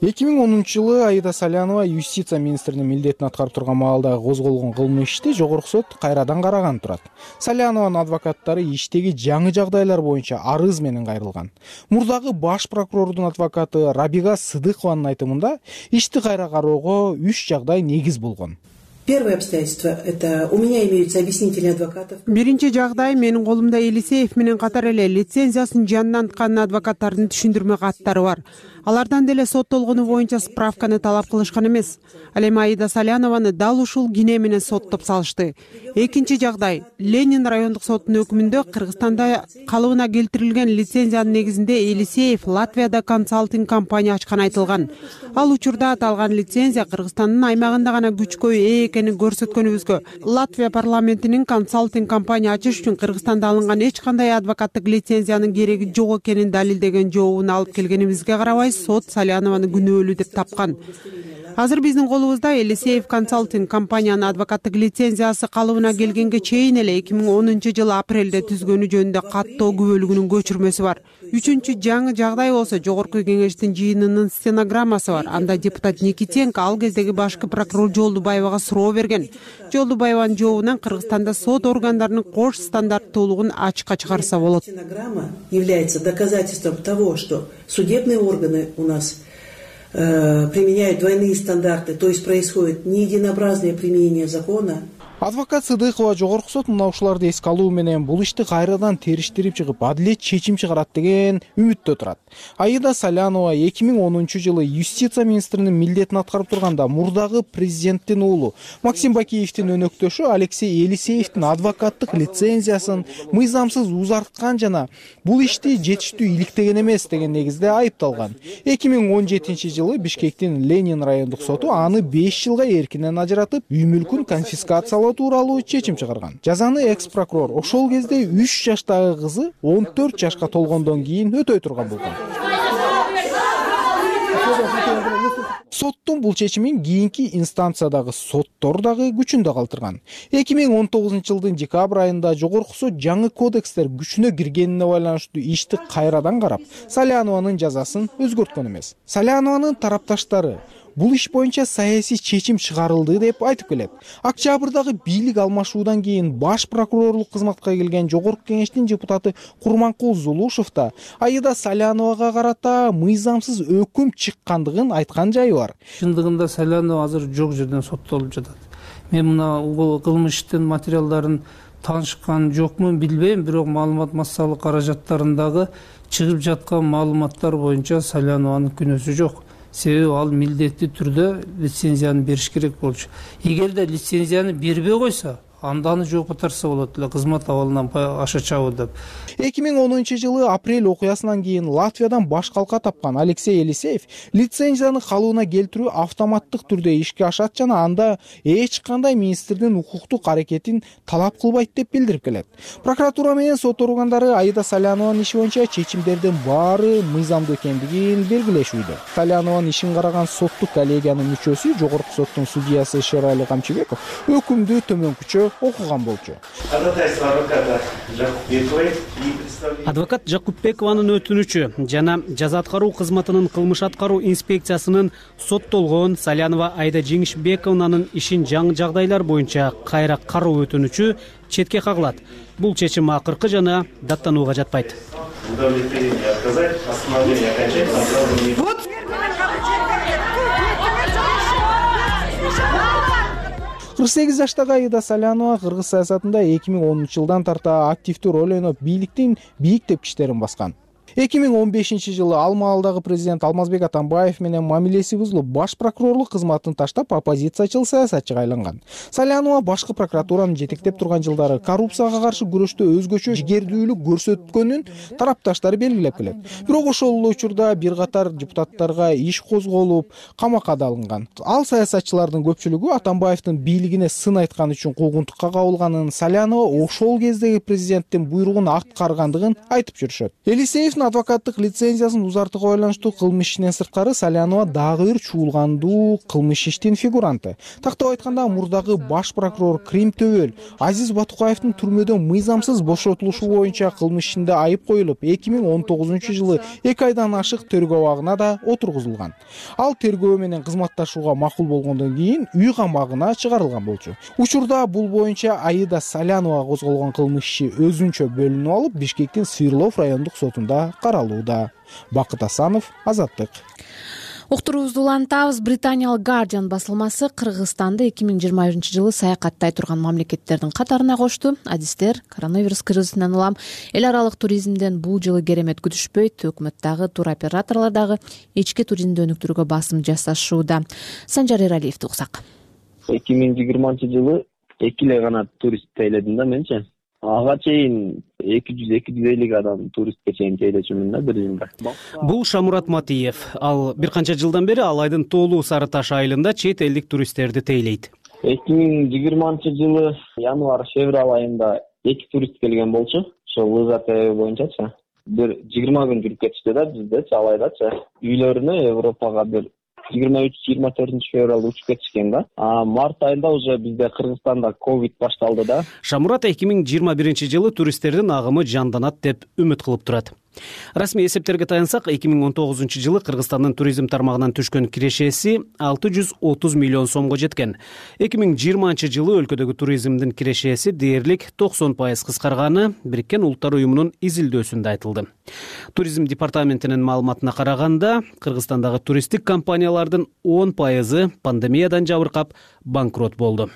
2010-жылы Аида Салянова юстиция министринин милдетин аткарып турган маалда козголгон кылмыш ишти жогорку сот кайрадан караган турат. Салянованын адвокаттары иштеги жаңы жагдайлар боюнча арыз менен кайрылган. Мурдагы баш прокурордун адвокаты Рабига Сыдыкованын айтымында ишти кайра кароого 3 жагдай негиз болгон. Первое обстоятельство – это у меня имеются объяснители адвокатов. Биринчи жагдай менин колумда Елисеев менен катар эле лицензиясын жанданткан адвокаттардын түшүндүрмө каттары бар. Алардан деле соттолгону боюнча справканы талап кылышкан эмес. Ал эми Аида Салянованы дал ушул кине менен соттоп салышты. Экинчи жагдай Ленин райондук сотунун өкүмүндө Кыргызстанда калыбына келтирилген лицензиянын негизинде Елисеев Латвияда консалтинг компания ачканы айтылган. Ал учурда аталган лицензия Кыргызстандын аймагында гана күчкө ээ экенин көрсөткөнүбүзгө Латвия парламентинин консалтинг компания ачыш үчүн Кыргызстанда алынган эч кандай адвокаттык лицензиянын кереги жок экенин далилдеген жообун алып келгенибизге карабай сот Салянованы күнөөлүү деп тапкан. Азыр биздин колубузда Елисеев консалтинг компаниянын адвокаттык лицензиясы калыбына келгенге чейин эле 2010-жылы апрелде түзгөнү жөнүндө каттоо күбөлүгүнүн көчүрмөсү бар. Үчүнчү жаңы жагдай болсо жогорку кеңештин жыйынынын стенограммасы бар. Анда депутат Никитенко ал кездеги башкы прокурор Жолдубаевага суроо берген. Жолдубаеванын жообунан Кыргызстанда сот органдарынын кош стандарттуулугун ачыкка чыгарса болот. Стенограмма является доказательством того, что судебные органы у нас применяют двойные стандарты, то есть происходит неединообразное применение закона. Адвокат Сыдыкова жогорку сот мына ушуларды эске алуу менен бул ишти кайрадан териштирип чыгып, адилет чечим чыгарат деген үмүттө турат. Аида Салянова 2010-жылы юстиция министринин милдетин аткарып турганда мурдагы президенттин уулу Максим Бакиевдин өнөктөшү Алексей Елисеевдин адвокаттык лицензиясын мыйзамсыз узарткан жана бул ишти жетиштүү иликтеген эмес деген негизде айыпталган. 2017-жылы Бишкектин Ленин райондук соту аны 5 жылга эркинен ажыратып, үй мүлкүн конфискациялоо тууралуу чечим чыгарган. Жазаны экс-прокурор ошол кезде 3 жаштагы кызы 14 жашка толгондон кийин өтөй турган болгон. Соттун бул чечимин кийинки инстанциядагы соттор дагы күчүндө калтырган. 2019-жылдын декабрь айында жогорку сот жаңы кодекстер күчүнө киргенине байланыштуу ишти кайрадан карап, Салянованын жазасын өзгөрткөн эмес. Салянованын тарапташтары бул иш боюнча саясий чечим чыгарылды деп айтып келет. Октябрдагы бийлик алмашуудан кийин баш прокурорлук кызматка келген жогорку кеңештин депутаты Курманкул Зулушев да Аида Саляновага карата мыйзамсыз өкүм чыккандыгын айткан жайы бар. Чындыгында Салянова азыр жок жерден соттолуп жатат. Мен мына кылмыштын материалдарын таанышкан жокмун билбейм, бирок маалымат массалык каражаттарындагы чыгып жаткан маалыматтар боюнча Салянованын күнөөсү жок. Себеби ал милдеттүү түрдө лицензияны бериш керек болчу. Эгерде лицензияны бербей койсо, анданы жооп катарса болот эле, кызмат абалынан аша чабуу деп. 2010-жылы апрель окуясынан кийин Латвиядан баш калка тапкан Алексей Елисеев лицензияны калыбына келтирүү автоматтык түрдө ишке ашат жана анда эч кандай министрдин укуктук аракетин талап кылбайт деп билдирип келет. Прокуратура менен сот органдары Аида Салянованын иши боюнча чечимдердин баары мыйзамдуу экендигин белгилешүүдө. Салянованын ишин караган соттук коллегиянын мүчөсү, жогорку соттун судьясы Шерали Камчыбеков өкүмдү төмөнкүчө окуган болчу. Адвокат Жакупбекованын өтүнүчү жана жаза аткаруу кызматынын кылмыш аткаруу инспекциясынын соттолгон Салянова Аида Жеңишбековнанын ишин жаңы жагдайлар боюнча кайра кароо өтүнүчү четке кагылат. Бул чечим акыркы жана даттанууга жатпайт. 48 жаштагы Аида Салянова кыргыз саясатында 2010-жылдан тарта активдүү роль ойноп, бийликтин бийик тепкичтерин баскан. 2015-жылы ал маалдагы президент Алмазбек Атамбаев менен мамилеси бузулуп, баш прокурорлук кызматын таштап, оппозициячыл саясатчыга айланган. Салянова башкы прокуратуранын жетектеп турган жылдары коррупцияга каршы күрөштө өзгөчө жигердүүлүк көрсөткөнүн тарапташтары белгилеп келет. Бирок ошол эле учурда бир катар депутаттарга иш козголуп, камакка да алынган. Ал саясатчылардын көпчүлүгү Атамбаевдин бийлигине сын айткан үчүн куугунтукка кабылганын, Салянова ошол кездеги президенттин буйругун аткаргандыгын айтып жүрүшөт. Елисеев туристтин адвокаттык лицензиясын узартууга байланыштуу кылмыш ишинен сырткары Салянова дагы бир чуулгандуу кылмыш иштин фигуранты. Тактап айтканда, мурдагы баш прокурор Крим Төбөл Азиз Батукаевдин түрмөдөн мыйзамсыз бошотулушу боюнча кылмыш ишинде айып коюлуп, 2019 жылы 2 айдан ашык тергөө абагына да отургузулган. Ал тергөө менен кызматташууга макул болгондон кийин үй камагына чыгарылган болчу. Учурда бул боюнча Аида Салянова козголгон кылмыш иши өзүнчө бөлүнүп алып, Бишкектин Сыйырлов райондук сотунда каралууда. Бакыт Асанов, Азаттык. Уктуруубузду улантабыз. Британиялык Guardian басылмасы Кыргызстанды 2021-жылы саякаттай турган мамлекеттердин катарына кошту. Адистер коронавирус кризисинен улам эл аралык туризмден бул жылы керемет күтүшпөйт. Өкмөт дагы, туроператорлор дагы ички туризмди өнүктүрүүгө басым жасашууда. Санжар Эралиевди уксак. 2020-жылы 2 эле гана турист тейледим да менчи. Ага чейин 200-250 адам туристке чейин тейлечүмүн да бир жылда. Бул Шамурат Матиев. Ал бир канча жылдан бери Алайдын Тоолуу Сары Таш айылында чет элдик туристтерди тейлейт. 2020-жылы январь-февраль айында 2 турист келген болчу. Ошол лыжа тейлөө боюнчачы. Бир 20 күн жүрүп кетишти да биздечи, Алайдачы. Үйлөрүнө Европага бир 23-24 февралда учуп кетишкен да. Март айында уже бизде Кыргызстанда ковид башталды да. Шамурат 2021-жылы туристтердин агымы жанданат деп үмүт кылып турат. Расмий эсептерге таянсак, 2019-жылы Кыргызстандын туризм тармагынан түшкөн кирешеси 630 миллион сомго жеткен. 2020-жылы өлкөдөгү туризмдин кирешеси дээрлик 90% кыскарганы Бириккен Улуттар Уюмунун изилдөөсүндө айтылды. Туризм департаментинин маалыматына караганда, Кыргызстандагы туристтик компаниялардын 10% пандемиядан жабыркап банкрот болду.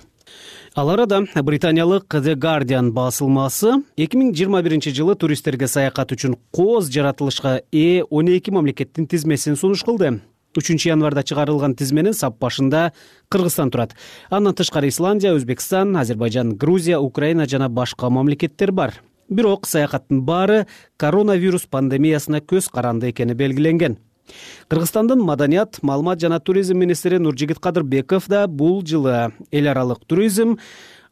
Ал арада британиялык The Guardian басылмасы 2021-жылы туристтерге саякат үчүн кооз жаратылышка 12 мамлекеттин тизмесин сунуш кылды. 3 январда чыгарылган тизменин сап башында Кыргызстан турат. Андан тышкары Исландия, Өзбекстан, Азербайжан, Грузия, Украина жана башка мамлекеттер бар. Бирок саякаттын баары коронавирус пандемиясына көз каранды экени белгиленген. Кыргызстандын маданият, маалымат жана туризм министри Нуржигит Кадырбеков да бул жылы эл аралык туризм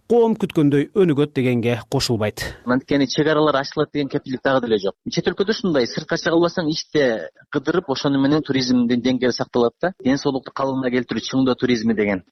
коом күткөндөй өнүгөт дегенге кошулбайт. Анткени чек аралар ачылат деген кепилдик дагы деле жок. Чет өлкөдө ушундай сыртка чыга албасаң иште кыдырып, ошону менен туризмдин деңгээли сакталат да. Ден соолукту калыбына келтирүү чыңдоо туризми деген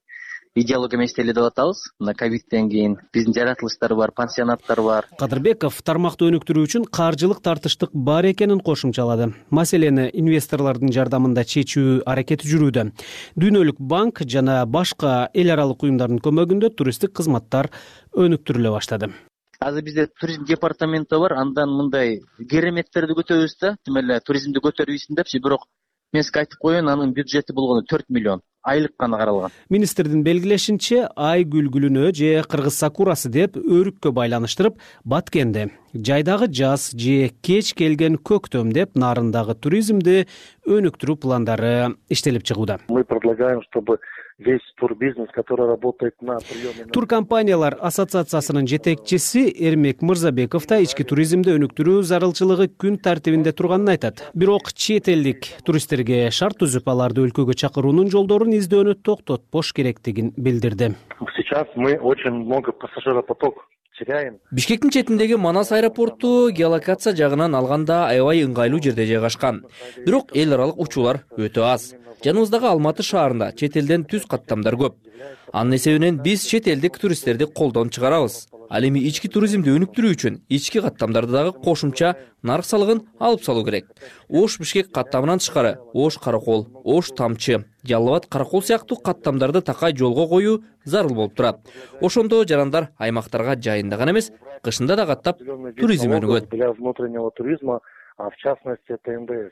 идеология менен иштелип атабыз. Мына ковидтен кийин биздин жаратылыштар бар, пансионаттар бар. Кадырбеков тармакты өнүктүрүү үчүн каржылык тартыштык бар экенин кошумчалады. Маселени инвесторлордун жардамында чечүү аракети жүрүүдө. Дүйнөлүк банк жана башка эл аралык уюмдардын көмөгүндө туристтик кызматтар өнүктүрүлө баштады. Азыр бизде туризм департаменти бар, андан мындай кереметтерди көтөрөбүз да, тим эле туризмди көтөрүбүзсүн депчи, бирок мен сизге айтып коеюн, анын бюджети болгону 4 миллион. Айлык гана каралган. Министрдин белгилешинче, ай күлгүлүнө же кыргыз сакурасы деп өрүккө байланыштырып, Баткенде жайдагы жаз же кеч келген көктөм деп нарындагы туризмди өнүктүрүү пландары иштелип чыгууда. Мы предлагаем, чтобы весь турбизнес, который работает на приеме... Туркомпаниялар ассоциациясынын жетекчиси Эрмек Мырзабеков да ички туризмди өнүктүрүү зарылчылыгы күн тартибинде турганын айтат. Бирок чет элдик туристтерге шарт түзүп, аларды өлкөгө чакыруунун жолдорун издөөнү токтотпош керектигин билдирди. Сейчас мы очень много пассажиропоток теряем. Бишкектин четиндеги Манас аэропорту геолокация жагынан алганда аябай ыңгайлуу жерде жайгашкан. Бирок эл аралык учуулар өтө аз. Жаныбыздагы Алматы шаарында чет элден түз каттамдар көп. Анын эсебинен биз чет элдик туристтерди колдон чыгарабыз. Ал эми ички туризмди өнүктүрүү үчүн ички каттамдарды дагы кошумча нарык салыгын алып салуу керек. Ош Бишкек каттамынан тышкары Ош Каракол, Ош Тамчы, Жалал Абад Каракол сыяктуу каттамдарды такай жолго коюу зарыл болуп турат. Ошондо жарандар аймактарга жайында гана эмес, кышында да каттап туризм өнүгөт. Для внутреннего туризма, а в частности это МДС.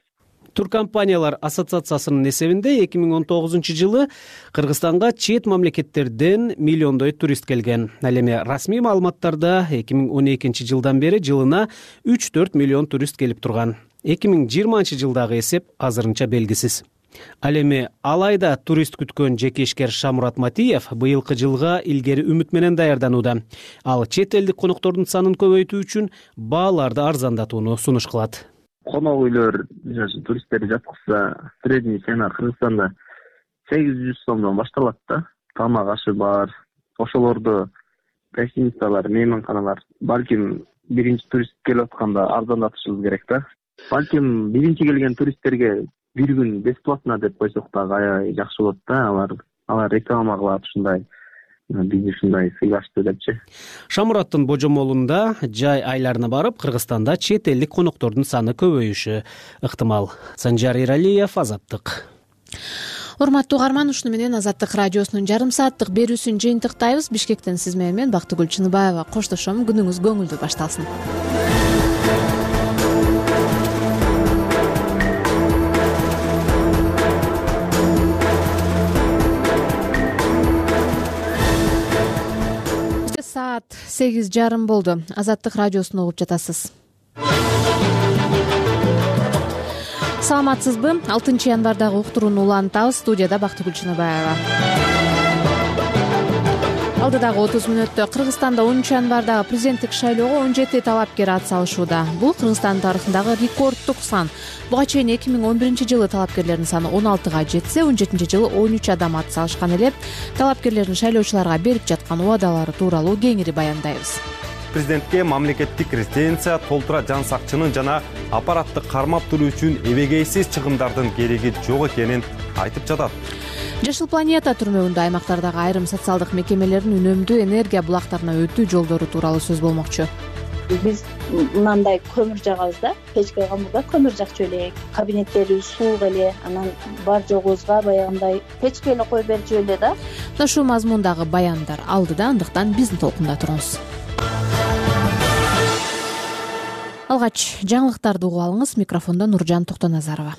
Туркомпаниялар ассоциациясынын эсебинде 2019 жылы Кыргызстанга чет мамлекеттерден миллиондой турист келген. Ал эми расмий маалыматтарда 2012 жылдан бери жылына 3-4 миллион турист келип турган. 2020 жылдагы эсеп азырынча белгисиз. Ал эми Алайда турист күткөн жеке ишкер Шамурат Матиев быйылкы жылга илгери үмүт менен даярданууда. Ал чет элдик коноктордун санын көбөйтүү үчүн бааларды арзандатууну сунуш кылат. Конок үйлөр туристтерди жаткызса, средний цена Кыргызстанда 800 сомдон башталат да. Тамак ашы бар. Ошолорду гостиницалар, мейманканалар балким биринчи турист келип атканда арзандатышыбыз керек да. Балким биринчи келген туристтерге бир күн бесплатно деп койсок дагы аябай жакшы болот да. Алар реклама кылат ушундай бизди ушундай сыйлашты депчи. Шамураттын божомолунда жай айларына барып, Кыргызстанда чет элдик коноктордун саны көбөйүшү ыктымал. Санжар Эралиев, Азаттык. Урматтуу угарман, ушуну менен Азаттык радиосунун жарым сааттык берүүсүн жыйынтыктайбыз. Бишкектен сиз менен Бактыгүл Чыныбаева коштошом. Күнүңүз көңүлдүү башталсын. Саат 8:30 болду. Азаттык радиосун угуп жатасыз. Саламатсызбы? 6 январдагы уктурууну улантабыз. Студияда Бактыгүл Чыныбаева. Алдыдагы 30 мүнөттө Кыргызстанда 10 январдагы президенттик шайлоого 17 талапкер ат салышууда. Бул Кыргызстан тарыхындагы рекорддук сан. Буга чейин 2011-жылы талапкерлердин саны 16га жетсе, 17-жылы 13 адам ат салышкан эле. Талапкерлердин шайлоочуларга берип жаткан убадалары тууралуу кеңири баяндайбыз. Президентке мамлекеттик резиденция, толтура жан сакчынын жана аппаратты кармап туруу үчүн эбегейсиз чыгымдардын кереги жок экенин айтып жатат. Жашыл планета түрмөгүндө аймактардагы айрым социалдык мекемелердин үнөмдүү энергия булактарына өтүү жолдору тууралуу сөз болмокчу. Биз мындай көмүр жагабыз да, печке камырда көмүр жакчу элек, кабинеттерибиз суук эле, анан бар жогубузга баягындай печке эле коюп берчү эле да. Ушул мазмундагы баяндар алдыда, андыктан биздин толкунда туруңуз. Алгач жаңылыктарды угуп алыңыз. Микрофондо Нуржан Токтоназарова.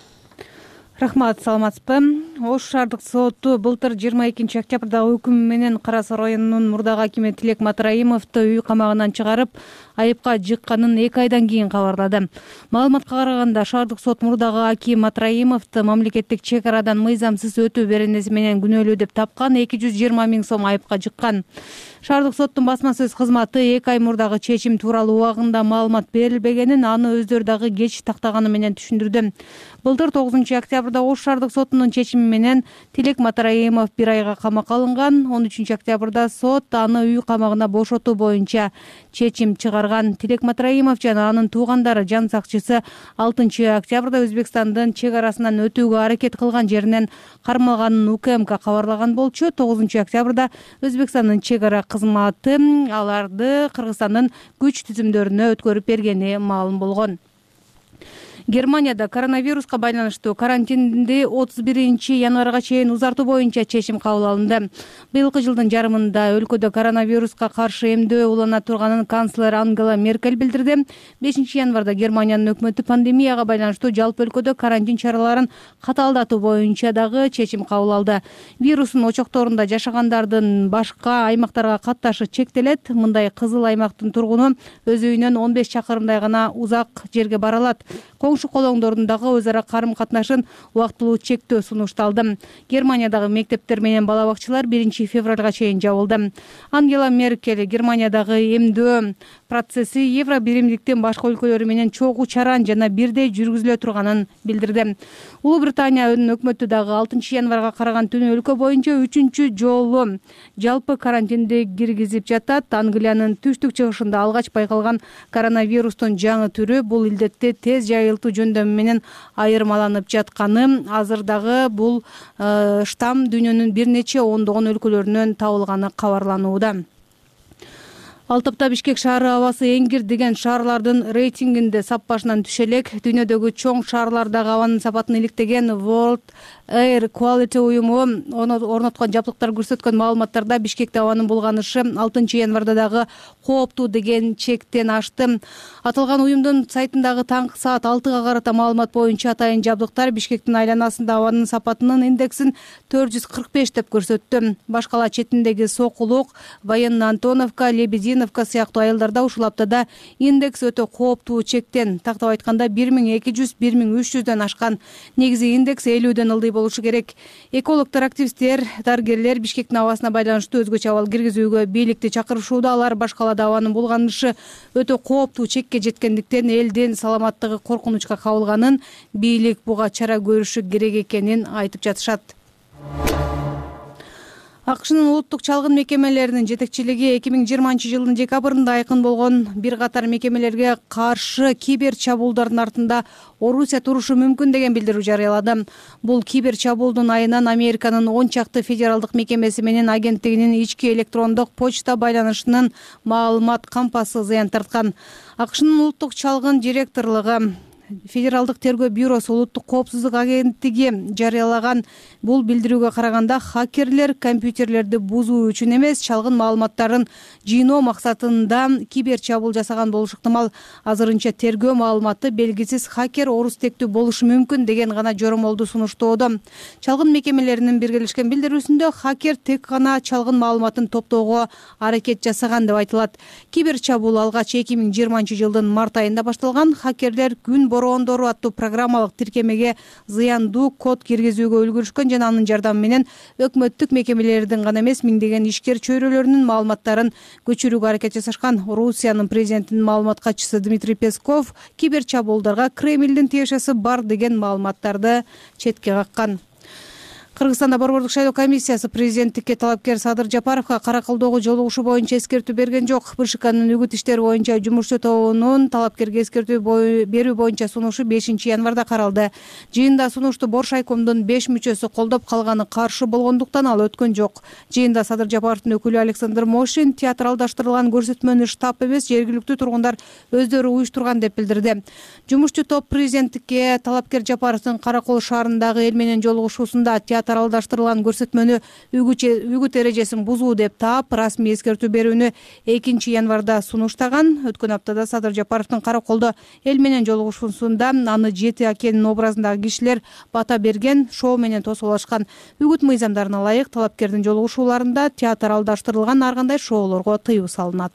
Рахмат, саламатсызбы? Ош шаардык соту былтыр 22 октябрдагы өкүмү менен Кара Суу районунун мурдагы акими Тилек Матраимовду үй камагынан чыгарып, айыпка жыкканын 2 айдан кийин кабарлады. Маалыматка караганда, шаардык сот мурдагы аким Матраимовду мамлекеттик чек арадан мыйзамсыз өтүү беренеси менен күнөөлүү деп тапкан, 220 000 сом айыпка жыккан. Шаардык соттун басма сөз кызматы 2 ай мурдагы чечим тууралуу убагында маалымат берилбегенин, аны өздөрү дагы кеч тактаганы менен түшүндүрдү. Былтыр 9 октябрда Ош шаардык сотунун чечими менен Тилек Матраимов 1 айга камакка алынган. 13 октябрда сот аны үй камагына бошотуу боюнча чечим чыгарган. Тилек Матраимов жана анын туугандары жан сакчысы 6 октябрда Өзбекстандын чек арасынан өтүүгө аракет кылган жеринен кармалганын УКМК кабарлаган болчу. 9 октябрда Өзбекстандын чек ара кызматы аларды Кыргызстандын күч түзүмдөрүнө өткөрүп бергени маалым болгон. Германияда коронавируска байланыштуу карантинди 31 январга чейин узартуу боюнча чечим кабыл алынды. Быйылкы жылдын жарымында өлкөдө коронавируска каршы эмдөө улана турганын канцлер Ангела Меркель билдирди. 5 январда Германиянын өкмөтү пандемияга байланыштуу жалпы өлкөдө карантин чараларын катаалдатуу боюнча дагы чечим кабыл алды. Вирустун очокторунда жашагандардын башка аймактарга катташы чектелет. Мындай кызыл аймактын тургуну өз үйүнөн 15 чакырымдай гана узак жерге бара алат. Коңшу колоңдордун дагы өз ара карым катнашын убактылуу чектөө сунушталды. Германиядагы мектептер менен бала бакчалар 1 февралга чейин жабылды. Ангела Меркель Германиядагы эмдөө процесси Евро биримдиктин башка өлкөлөрү менен чогуу чаран жана бирдей жүргүзүлө турганын билдирди. Улуу Британиянын өкмөтү дагы 6 январга караган түнү өлкө боюнча 3 жолу жалпы карантинди киргизип жатат. Англиянын түштүк чыгышында алгач байкалган коронавирустун жаңы түрү бул илдетти тез жайылтуу жөндөмү менен айырмаланып жатканы, азырдагы бул штамм дүйнөнүн бир нече ондогон өлкөлөрүнөн табылганы кабарланууда. Ал тапта Бишкек шаары абасы эңгир деген шаарлардын рейтингинде сап башынан түшө элек. Дүйнөдөгү чоң шаарлардагы абанын сапатын иликтеген World Air Quality уюму орноткон жабдыктар көрсөткөн маалыматтарда Бишкекте абанын булганышы 6 январда дагы кооптуу деген чектен ашты. Аталган уюмдун сайтындагы таңкы саат 6га карата маалымат боюнча атайын жабдыктар Бишкектин айланасында абанын сапатынын индексин 445 деп көрсөттү. Башкала четиндеги Сокулук, Военный Антоновка, Лебединовка сыяктуу айылдарда ушул аптада индекс өтө кооптуу чектен, тактап айтканда 1200-1300дөн ашкан. Негизи индекс 50дөн ылдый болушу керек. Экологдор, активисттер, дарыгерлер Бишкектин абасына байланыштуу өзгөчө абал киргизүүгө бийликти чакырышууда. Алар башкалада абанын булганышы өтө кооптуу чекке жеткендиктен элдин саламаттыгы коркунучка кабылганын, бийлик буга чара көрүшү керек экенин айтып жатышат. акшнын улуттук чалгын мекемелеринин жетекчилиги 2020-жылдын декабрында айкын болгон бир катар мекемелерге каршы кибер чабуулдардын артында Орусия турушу мүмкүн деген билдирүү жарыялады. Бул кибер чабуулдун айынан Американын 10 чакты федералдык мекемеси менен агенттигинин ички электрондук почта байланышынын маалымат кампасы зыян тарткан. Акшнын улуттук чалгын директорлугу Федералдык тергөө бюросу улуттук коопсуздук агенттиги жарыялаган бул билдирүүгө караганда хакерлер компьютерлерди бузуу үчүн эмес, чалгын маалыматтарын жыйноо максатында кибер чабуул жасаган болушу ыктымал. Азырынча тергөө маалыматы белгисиз хакер орус тектүү болушу мүмкүн деген гана жоромолду сунуштоодо. Чалгын мекемелеринин биргелешкен билдирүүсүндө хакер тек гана чалгын маалыматын топтоого аракет жасаган деп айтылат. Кибер чабуул алгач 2020-жылдын март айында башталган. Хакерлер күн бороондору аттуу программалык тиркемеге зыяндуу код киргизүүгө үлгүрүшкөн жана анын жардамы менен өкмөттүк мекемелердин гана эмес, миңдеген ишкер чөйрөлөрүнүн маалыматтарын көчүрүүгө аракет жасашкан. Орусиянын президентинин маалымат катчысы Дмитрий Песков кибер чабуулдарга Кремлдин тиешеси бар деген маалыматтарды четке каккан. Кыргызстанда борбордук шайлоо комиссиясы президенттикке талапкер Садыр Жапаровго Каракалдогу жолугушу боюнча эскертүү берген жок. БШКнын үгүт иштери боюнча жумушчу тобунун талапкерге эскертүү берүү боюнча сунушу 5-январда каралды. Жыйында сунушту Бош айкомдун 5 мүчөсү колдоп, калганы каршы болгондуктан ал өткөн жок. Жыйында Садыр Жапаровдун өкүлү Александр Мошин театралдаштырылган көрсөтмөнү штаб эмес, жергиликтүү тургундар өздөрү уюштурган деп билдирди. Жумушчу топ президенттикке талапкер Жапаровдун Каракол шаарындагы эл менен жолугушуусунда театралдаштырылган көрсөтмөнү үгүт эрежесин бузуу деп таап, расмий эскертүү берүүнү 2-январда сунуштаган. Өткөн аптада Садыр Жапаровдун Караколдо эл менен жолугушуусунда аны Жети акенин образындагы кишилер бата берген, шоу менен тосуулашкан. Үгүт мыйзамдарына ылайык талапкердин жолугушууларында театралдаштырылган ар кандай шоулорго тыюу салынат.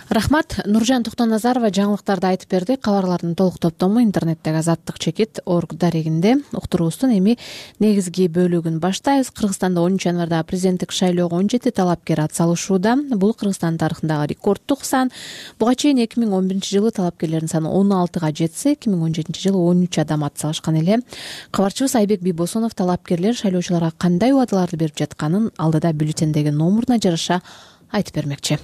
Рахмат. Нуржан Токтоназарова жаңылыктарды айтып берди. Кабарлардын толук топтому интернеттеги Азаттык чекит орг дарегинде. Уктуруубуздун эми негизги бөлүгүн баштайбыз. Кыргызстанда 10-январда президенттик шайлоого 17 талапкер ат салышууда. Бул Кыргызстан тарыхындагы рекордтук сан. Буга чейин 2011-жылы талапкерлердин саны 16га жетсе, 2017-жылы 13 адам ат салышкан эле. Кабарчыбыз Айбек Бийбосунов талапкерлер шайлоочуларга кандай убадаларды берип жатканын алдыда бюллетендеги номуруна жараша айтып бермекчи.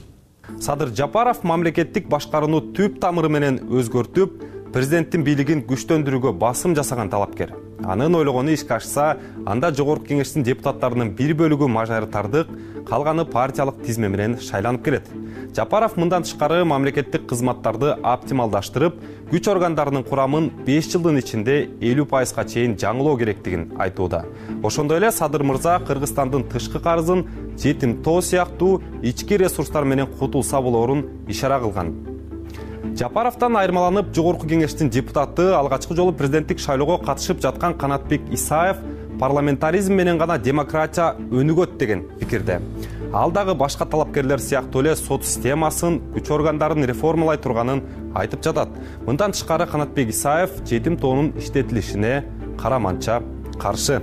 Садыр Жапаров мамлекеттик башкарууну түп тамыры менен өзгөртүп, президенттин бийлигин күчтөндүрүүгө басым жасаган талапкер. Анын ойлогону ишке ашса, анда жогорку кеңештин депутаттарынын бир бөлүгү мажоритардык, калганы партиялык тизме менен шайланып келет. Жапаров мындан тышкары мамлекеттик кызматтарды оптималдаштырып, күч органдарынын курамын 5 жылдын ичинде 50%га чейин жаңылоо керектигин айтууда. Ошондой эле Садыр мырза Кыргызстандын тышкы карызын жетим тоо сыяктуу ички ресурстар менен кутулса болоорун ишара кылган. Жапаровдон айырмаланып, жогорку кеңештин депутаты алгачкы жолу президенттик шайлоого катышып жаткан Канатбек Исаев парламентаризм менен гана демократия өнүгөт деген пикирде. Ал дагы башка талапкерлер сыяктуу эле сот системасын, күч органдарын реформалай турганын айтып жатат. Мындан тышкары Канатбек Исаев жетим тоонун иштетилишине караманча каршы.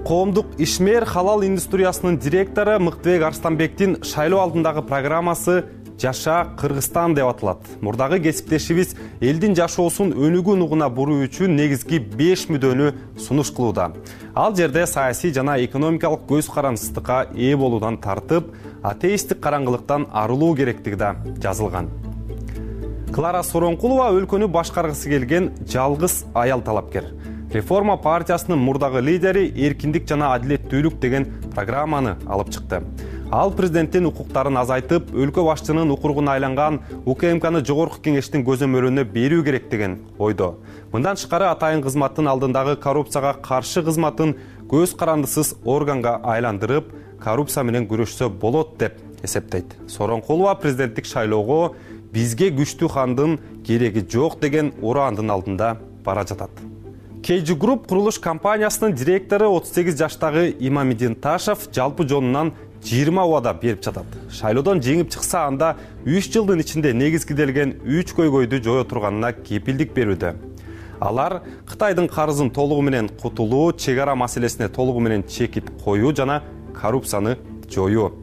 Коомдук ишмер халал индустриясынын директору Мыктыбек Арстанбектин шайлоо алдындагы программасы Жаша Кыргызстан деп аталат. Мурдагы кесиптешибиз элдин жашоосун өнүгүү нугуна буруу үчүн негизги 5 мүдөнү сунуш кылууда. Ал жерде саясий жана экономикалык көз карансыздыкка ээ болуудан тартып, атеисттик караңгылыктан арылуу керектиги да жазылган. Клара Соронкулова өлкөнү башкаргысы келген жалгыз аял талапкер. Реформа партиясынын мурдагы лидери эркиндик жана адилеттүүлүк деген программаны алып чыкты. Ал президенттин укуктарын азайтып, өлкө башчынын укугуна айланган УКМКны жогорку кеңештин көзөмөлүнө берүү керек деген ойдо. Мындан тышкары атайын кызматтын алдындагы коррупцияга каршы кызматын көз карандысыз органга айландырып, коррупция менен күрөшсө болот деп эсептейт. Соронкулова президенттик шайлоого бизге күчтүү хандын кереги жок деген ураандын алдында бара жатат. KG Group курулуш компаниясынын директору 38 жаштагы Имамидин Ташев жалпы жонунан 20 убада берип жатат. Шайлоодон жеңип чыкса, анда 3 жылдын ичинде негизгиделген 3 көйгөйдү жое турганына кепилдик берүүдө. Алар Кытайдын карызын толугу менен кутулуу, чек ара маселесине толугу менен чекит коюу жана коррупцияны жоюу.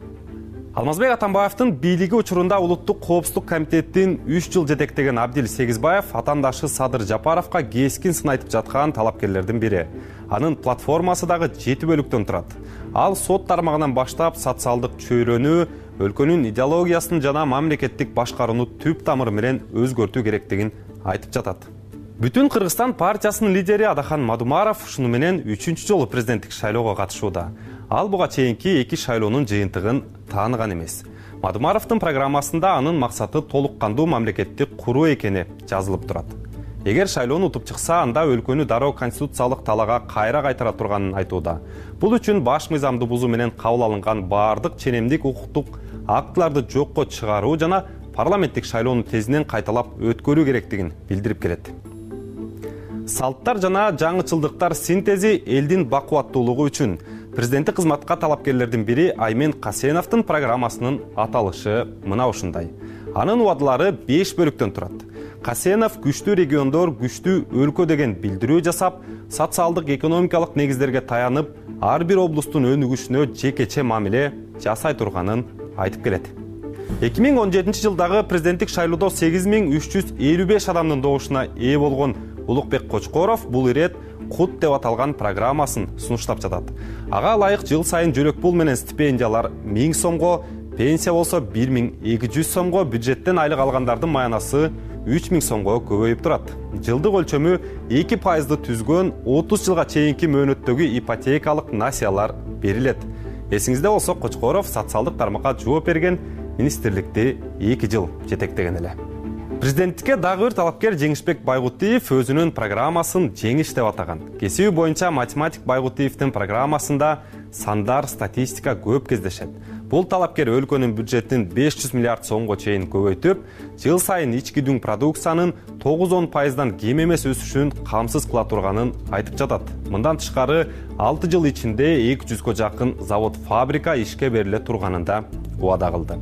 Алмазбек Атамбаевдин бийлиги учурунда улуттук коопсуздук комитеттин 3 жыл жетектеген Абдил Сегизбаев атаандашы Садыр Жапаровго кескин сын айтып жаткан талапкерлердин бири. Анын платформасы дагы 7 бөлүктөн турат. Ал сот тармагынан баштап социалдык чөйрөнү, өлкөнүн идеологиясын жана мамлекеттик башкарууну түп тамыры менен өзгөртүү керектигин айтып жатат. Бүтүн Кыргызстан партиясынын лидери Адахан Мадумаров ушуну менен 3-чү жолу президенттик шайлоого катышууда. Ал буга чейинки 2 шайлоонун жыйынтыгын тааныган эмес. Мадумаровдун программасында анын максаты толук кандуу мамлекетти куруу экени жазылып турат. Эгер шайлоону утуп чыкса, анда өлкөнү дароо конституциялык талаага кайра кайтара турганын айтууда. Бул үчүн баш мыйзамды бузуу менен кабыл алынган баардык ченемдик укуктук актыларды жокко чыгаруу жана парламенттик шайлоону тезинен кайталап өткөрүү керектигин билдирип келет. Салттар жана жаңычылдыктар синтези элдин бакубаттуулугу үчүн президенттик кызматка талапкерлердин бири Аймен Касеновдун программасынын аталышы мына ушундай. Анын убадалары 5 бөлүктөн турат. Касенов күчтүү региондор, күчтүү өлкө деген билдирүү жасап, социалдык экономикалык негиздерге таянып, ар бир облустун өнүгүшүнө жекече мамиле жасай турганын айтып келет. 2017 жылдагы президенттик шайлоодо 8355 адамдын добушуна ээ болгон Улукбек Кочкоров бул ирет кут деп аталган программасын сунуштап жатат. Ага ылайык жыл сайын жөлөк пул менен стипендиялар 1000 сомго, пенсия болсо 1200 сомго, бюджеттен айлык алгандардын маянасы 3000 сомго көбөйүп турат. Жылдык өлчөмү 2% түзгөн 30 жылга чейинки мөөнөттөгү ипотекалык насыялар берилет. Эсиңизде болсо, Кочкоров социалдык тармакка жооп берген министрликти 2 жыл жетектеген эле. Президенттикке дагы бир талапкер Жеңишбек Байгутиев өзүнүн программасын Жеңиш деп атаган. Кесиби боюнча математик Байгутиевдин программасында сандар, статистика көп кездешет. Бул талапкер өлкөнүн бюджетин 500 миллиард сомго чейин көбөйтүп, жыл сайын ички дүң продукциянын 9-10% кем эмес өсүшүн камсыз кыла турганын айтып жатат. Мындан тышкары 6 жыл ичинде 200 жакын завод, фабрика ишке бериле турганын да убада кылды.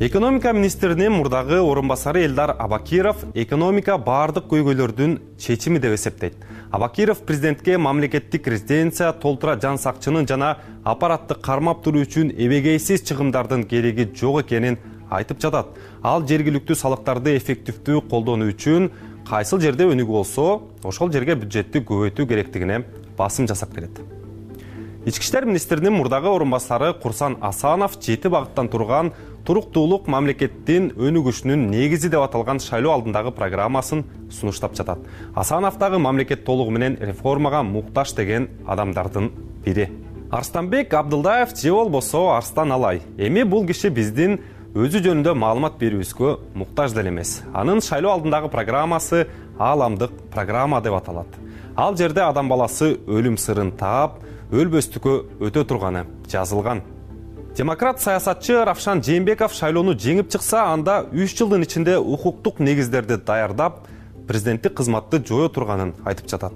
Экономика министринин мурдагы орун басары Элдар Абакиров экономика баардык көйгөйлөрдүн чечими деп эсептейт. Абакиров президентке мамлекеттик резиденция, толтура жан сакчынын жана аппаратты кармап туруу үчүн эбегейсиз чыгымдардын кереги жок экенин айтып жатат. Ал жергиликтүү салыктарды эффективдүү колдонуу үчүн кайсыл жерде өнүгүү болсо, ошол жерге бюджетти көбөйтүү керектигине басым жасап келет. Ички иштер министринин мурдагы орун басары Курсан Асанов 7 багыттан турган туруктуулук мамлекеттин өнүгүшүнүн негизи деп аталган шайлоо алдындагы программасын сунуштап жатат. Асанов дагы мамлекет толугу менен реформага муктаж деген адамдардын бири. Арстанбек Абдылдаев же болбосо Арстан Алай. Эми бул киши биздин өзү жөнүндө маалымат берүүбүзгө муктаж деле эмес. Анын шайлоо алдындагы программасы ааламдык программа деп аталат. Ал жерде адам баласы өлүм сырын таап, өлбөстүккө өтө турганы жазылган. Демократ саясатчы Равшан Жээнбеков шайлоону жеңип чыкса, анда 3 жылдын ичинде укуктук негиздерди даярдап, президенттик кызматты жое турганын айтып жатат.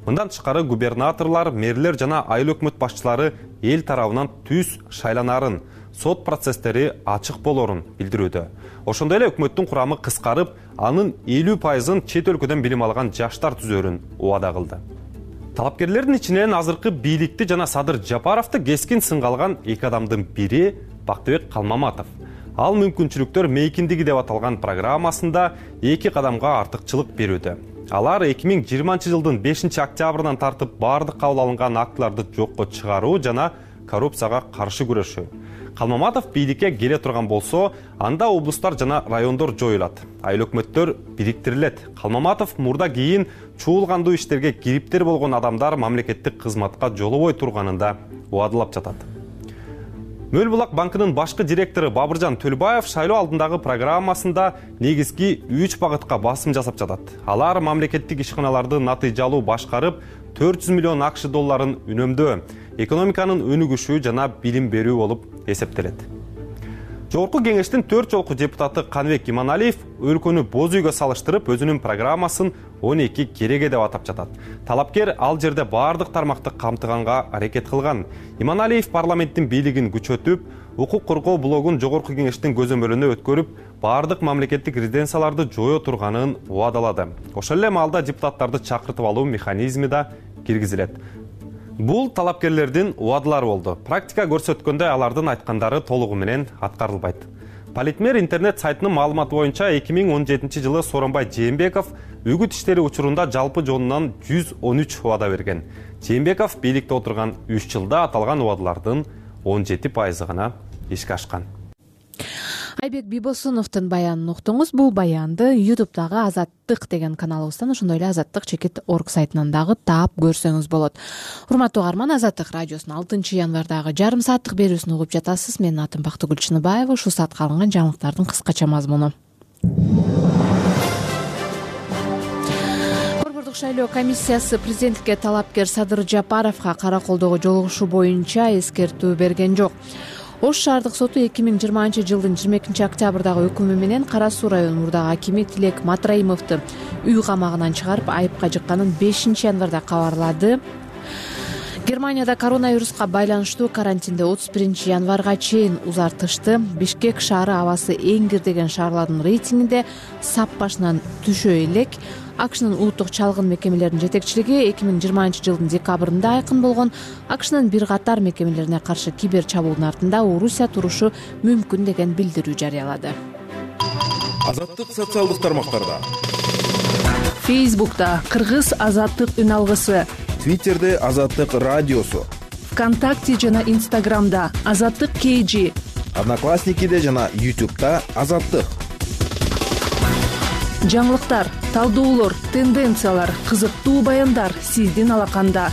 Мындан тышкары губернаторлор, мэрлер жана айыл өкмөт башчылары эл тарабынан түз шайланарын, сот процесстери ачык болорун билдирүүдө. Ошондой эле өкмөттүн курамы кыскарып, анын 50%-ын чет өлкөдөн билим алган жаштар түзөрүн убада кылды. Талапкерлердин ичинен азыркы бийликти жана Садыр Жапаровду кескин сынга алган 2 адамдын бири Бактыбек Калмаматов. Ал мүмкүнчүлүктөр мейкиндиги деп аталган программасында 2 кадамга артыкчылык берүүдө. Алар 2020 жылдын 5 октябрынан тартып баардык кабыл алынган актыларды жокко чыгаруу жана коррупцияга каршы күрөшүү. Калмаматов бийликке келе турган болсо, анда облустар жана райондор жоюлат. Айыл өкмөттөр бириктирилет. Калмаматов мурда кийин чуулгандуу иштерге кириптер болгон адамдар мамлекеттик кызматка жолобой турганында убадалап жатат. Мөлбулак банкынын башкы директору Бабыржан Төлбаев шайлоо алдындагы программасында негизги 3 багытка басым жасап жатат. Алар мамлекеттик ишканаларды натыйжалуу башкарып, 400 миллион акш долларын үнөмдөө, экономиканын өнүгүшү жана билим берүү болуп эсептелет. Жогорку кеңештин 4 жолку депутаты Канбек Иманалиев өлкөнү боз үйгө салыштырып, өзүнүн программасын 12 кереге деп атап жатат. Талапкер ал жерде баардык тармакты камтыганга аракет кылган. Иманалиев парламенттин бийлигин күчөтүп, укук коргоо блогун жогорку кеңештин көзөмөлүнө өткөрүп, баардык мамлекеттик резиденцияларды жое турганын убадалады. Ошол эле маалда депутаттарды чакыртып алуу механизми да киргизилет. Бул талапкерлердин убадалары болду. Практика көрсөткөндөй алардын айткандары толугу менен аткарылбайт. Политмер интернет сайтынын маалыматы боюнча 2017 жылы Сооронбай Жээнбеков үгүт иштери учурунда жалпы жонунан 113 убада берген. Жээнбеков бийликте отурган 3 жылда аталган убадалардын 17% гана ишке ашкан. Айбек Бибосуновдун баянын уктуңуз. Бул баянды YouTube'дагы Азаттык деген каналыбыздан, ошондой эле azattik.org сайтынан дагы таап көрсөңүз болот. Урматтуу угарман, Азаттык радиосунун 6 январдагы жарым сааттык берүүсүн угуп жатасыз. Менин атым Бактыгүл Чыныбаева. Ушул саатка алынган жаңылыктардын кыскача мазмуну. Борбордук шайлоо комиссиясы президенттикке талапкер Садыр Жапаровго кара колдоого жолугушуу боюнча эскертүү берген жок. Ош шаардык соту 2020 жылдын 22 октябрдагы өкүмү менен Кара Суу району мурдагы акими Тилек Матраимовду үй камагынан чыгарып айыпка жыкканын 5 январда кабарлады. Германияда коронавируска байланыштуу карантинди 31 январга чейин узартышты. Бишкек шаары абасы эң кир деген шаарлардын рейтингинде сап башынан түшө элек. АКШнын улуттук чалгын мекемелеринин жетекчилиги 2020 жылдын декабрында айкын болгон АКШнын бир катар мекемелерине каршы кибер чабуулдун артында Орусия турушу мүмкүн деген билдирүү жарыялады. Азаттык социалдык тармактарда. Фейсбукта Кыргыз Азаттык үн алгысы. Твиттерде Азаттык радиосу. ВКонтакте жана Инстаграмда Азаттык KG. Одноклассникиде жана YouTube'да Азаттык. Жаңылыктар, талдоолор, тенденциялар, кызыктуу баяндар сиздин алаканда.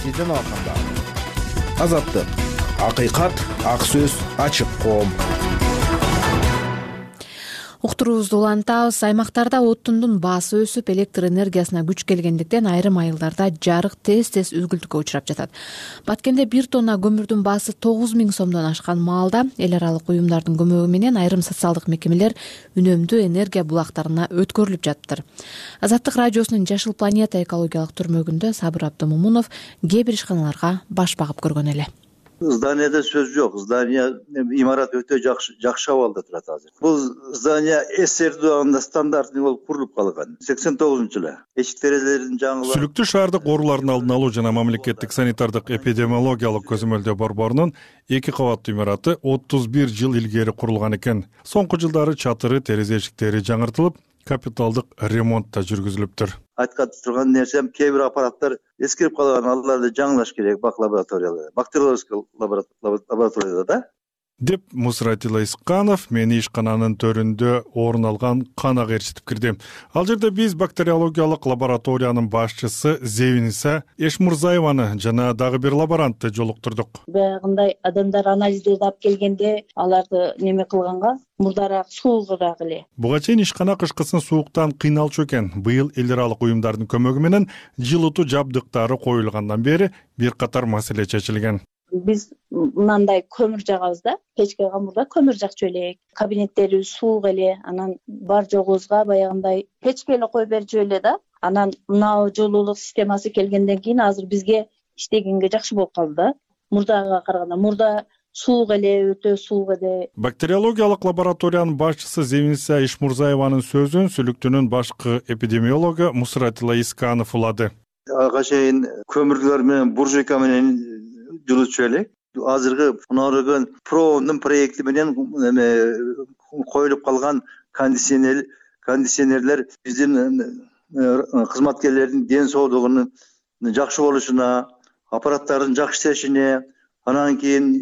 Азаттык. Акыйкат, ак сөз, ачык коом. Уктуруубузду улантабыз. Аймактарда отундун баасы өсүп, электр энергиясына күч келгендиктен айрым айылдарда жарык тез үзгүлтүккө учурап жатат. Баткенде 1 тонна көмүрдүн баасы 9000 сомдон ашкан маалда эл аралык уюмдардын көмөгү менен айрым социалдык мекемелер үнөмдүү энергия булактарына өткөрүлүп жатыптыр. Азаттык радиосунун Жашыл планета экологиялык түрмөгүндө Сабыр Абдымомунов кээ бир ишканаларга баш багып көргөн эле. Зданияда сөз жок. Здания имарат өтө жакшы абалда турат азыр. Бул здания СССР дагында стандарттуу болуп курулуп калган. 89-жылы. Эшик терезелерин жаңылап. Сүлүктүү шаардык оорулардын алдын алуу жана мамлекеттик санитардык эпидемиологиялык көзөмөлдөө борборунун 2 кабаттуу имараты 31 жыл илгери курулган экен. Соңку жылдары чатыры, терезе эшиктери жаңыртылып, капиталдык ремонт да жүргүзүлүптүр. Айткан турган нерсем, кээ бир аппараттар эскирип калган, аларды жаңылаш керек бак лабораторияларда, бактериологиялык лабораторияда да. Деп Мусратила Исканов мени ишкананын төрүндө орун алган канага ээрчитип кирди. Ал жерде биз бактериологиялык лабораториянын башчысы Зевиниса Эшмурзаеваны жана дагы бир лаборантты жолуктурдук. Баягындай адамдар анализдерди алып келгенде аларды неме кылганга мурдараак суугураак эле. Буга чейин ишкана кышкысын сууктан кыйналчу экен. Быйыл эл аралык уюмдардын көмөгү менен жылытуу жабдыктары коюлгандан бери бир катар маселе чечилген. Биз мындай көмүр жагабыз да, печке камурда көмүр жакчу элек. Кабинеттерибиз суук эле, анан бар жогубузга баягындай печке эле коюп берчү эле да. Анан мына жылуулук системасы келгенден кийин азыр бизге иштегенге жакшы болуп калды да. Мурдага караганда мурда суук эле, өтө суук эле. Бактериологиялык лабораториянын башчысы Зевиниса Ишмурзаеванын сөзүн сүлүктүнүн башкы эпидемиологу Мусратила Исканов улады. Ага чейин көмүрлөр менен буржуйка менен жылытчу элек. Азыркы мынагы проомдун проекти менен коюлуп калган кондиционерлер биздин кызматкерлердин ден соолугунун жакшы болушуна, аппараттардын жакшы иштешине, анан кийин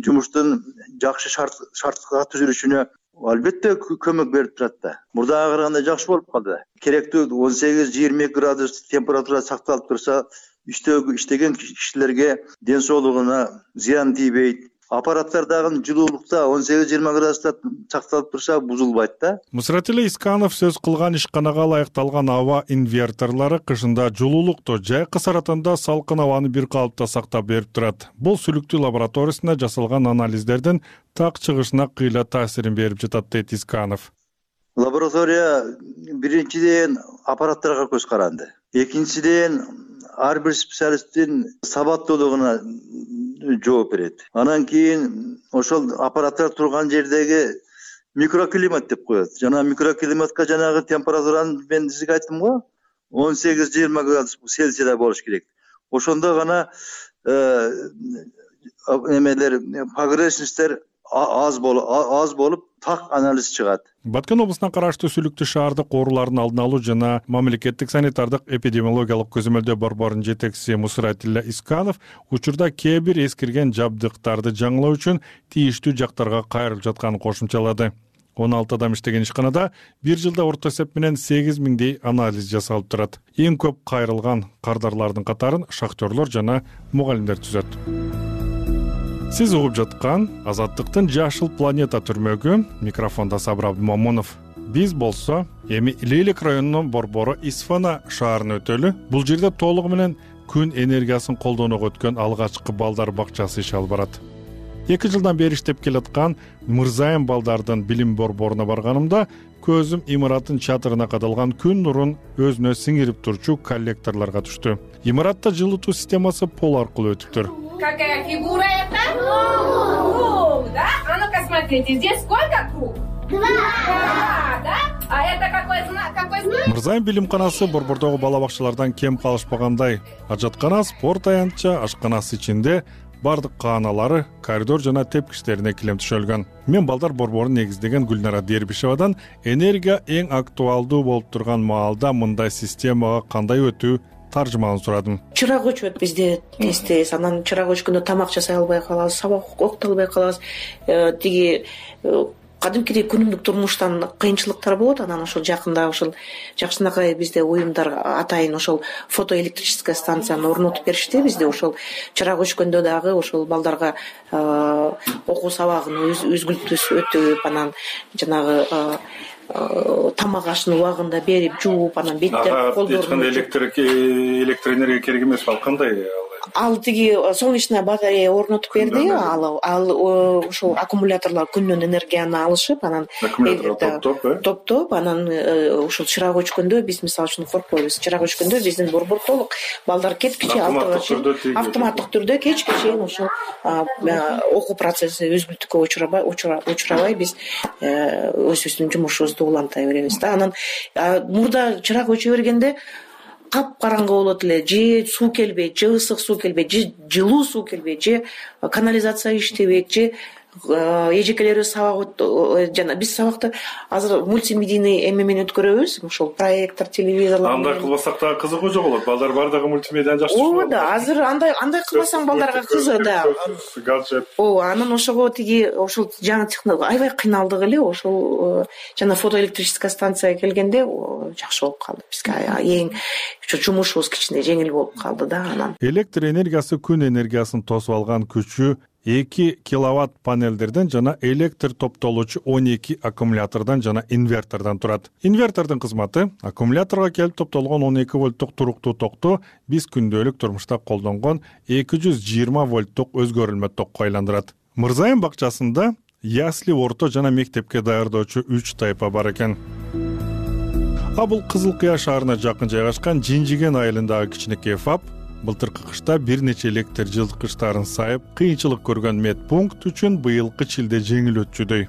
жумуштун жакшы шартка түзүлүшүнө албетте көмөк берип турат да. Мурдага караганда жакшы болуп калды. Керектүү 18-22 градус температура сакталып турса, иштеген кишилерге ден соолугуна зыян тийбейт. Аппараттардагы жылуулукта 18-20 градуста сакталып турса бузулбайт да. Мусратила Исканов сөз кылган ишканага ылайыкталган аба инверторлору кышында жылуулукту, жай кысаратында салкын абаны бир калыпта сактап берип турат. Бул сүлүктүү лабораториясында жасалган анализдердин так чыгышына кыйла таасирин берип жатат, дейт Исканов. Лаборатория биринчиден аппараттарга көз каранды. Экинчиден ар бир специалисттин сабаттуулугуна жооп берет. Анан кийин ошол аппараттар турган жердеги микроклимат деп коет. Жана микроклиматка жанагы температураны мен сизге айттым го, 18-20 градус Цельсийда болуш керек. Ошондо гана эмелер погрешностьтер аз болуп так анализ чыгат. Баткен облусуна караштуу Сүлүктүү шаардык оорулардын алдын алуу жана мамлекеттик санитардык эпидемиологиялык көзөмөлдөө борборунун жетекчиси Мусратилла Исканов учурда кээ бир эскирген жабдыктарды жаңылоо үчүн тийиштүү жактарга кайрылып жатканын кошумчалады. 16 адам иштеген ишканада бир жылда орто эсеп менен 8000дей анализ жасалып турат. Эң көп кайрылган кардарлардын катарын шахтерлор жана мугалимдер түзөт. Сиз угуп жаткан Азаттыктын Жашыл планета түрмөгү, микрофондо Сабыр Абдымомунов. Биз болсо эми Лейлек районунун борбору Исфана шаарына өтөлү. Бул жерде толугу менен күн энергиясын колдонууга өткөн алгачкы балдар бакчасы иш алып барат. 2 жылдан бери иштеп келаткан Мырзайым балдардын билим борборуна барганымда көзүм имараттын чатырына кадалган күн нурун өзүнө сиңирип турчу коллекторлорго түштү. Имаратта жылытуу системасы пол аркылуу өтүптүр. Какая фигура это? Круг, да? А ну-ка смотрите, здесь сколько круг? 2, да? А это какой знак? Мырзайым билимканасы борбордогу бала бакчалардан кем калышпагандай. Ажаткана, спорт аянтча, ашканасы ичинде бардык кааналары, коридор жана тепкичтерине килем төшөлгөн. Мен балдар борборун негиздеген Гүлнара Дербишевадан энергия эң актуалдуу болуп турган маалда мындай системага кандай өтүү таржымаын сурадым. Чырак өчөт бизде тез, анан чырак өчкөндө тамак жасай албай калабыз, сабак окута албай калабыз. Тиги кадимкидей күнүмдүк турмуштан кыйынчылыктар болот, анан ошол жакында ошол жакшынакай бизде уюмдар атайын ошол фотоэлектрическая станцияны орнотуп беришти. Бизде ошол чырак өчкөндө дагы ошол балдарга окуу сабагын өзгүлтүп анан жанагы тамак ашын убагында берип жууп, анан беттер колдорун электр энергия керек эмес. Ал кандай? Ал тиги солнечная батарея орнотуп берди. Ал ошол аккумуляторлор күндөн энергияны алышып, анан топтоп, анан ошол чырак өчкөндө биз мисалы үчүн коркпойбуз. Чырак өчкөндө биздин борбор толук балдар кеткиче автоматтык түрдө кечке чейин ошол окуу процесси өзгүлтүккө учурабай биз өзүбүздүн жумушубузду улантай беребиз да. Анан мурда чырак өчө бергенде капкараңгы болот эле, же суу келбейт, же ысык суу келбейт, же жылуу суу келбейт, же канализация иштебейт, же эжекелери сабак жана биз сабакты азыр мультимедийный эме менен өткөрөбүз, ошол проектор, телевизорлор. Андай кылбасак дагы кызыгуу жок болот. Балдар бардыгы мультимедияны жакшы түшүнөт. Ооба, азыр андай кылбасаң балдарга кызык да. Ооба, анан ошого тиги ошол жаңы технология аябай кыйналдык эле. Ошол жана фотоэлектрическая станция келгенде жакшы болуп калды. Бизге эң жумушубуз кичине жеңил болуп калды да анан. Электр энергиясы күн энергиясын тосуп алган күчү 2 киловатт панелдерден жана электр топтолуучу 12 аккумулятордон жана инвертордон турат. Инвертордун кызматы аккумуляторго келип топтолгон 12 вольттук туруктуу токту биз күндөлүк турмушта колдонгон 220 вольттук өзгөрүлмө токко айландырат. Мырзайым бакчасында ясли, орто жана мектепке даярдоочу 3 тайпа бар экен. Бул Кызыл Кыя шаарына жакын жайгашкан Жинжиген айылындагы кичинекей ФАП былтыркы кышта бир нече электр жылыткычтарын сайып, кыйынчылык көргөн медпункт үчүн быйылкы шилде жеңил өтчүдөй.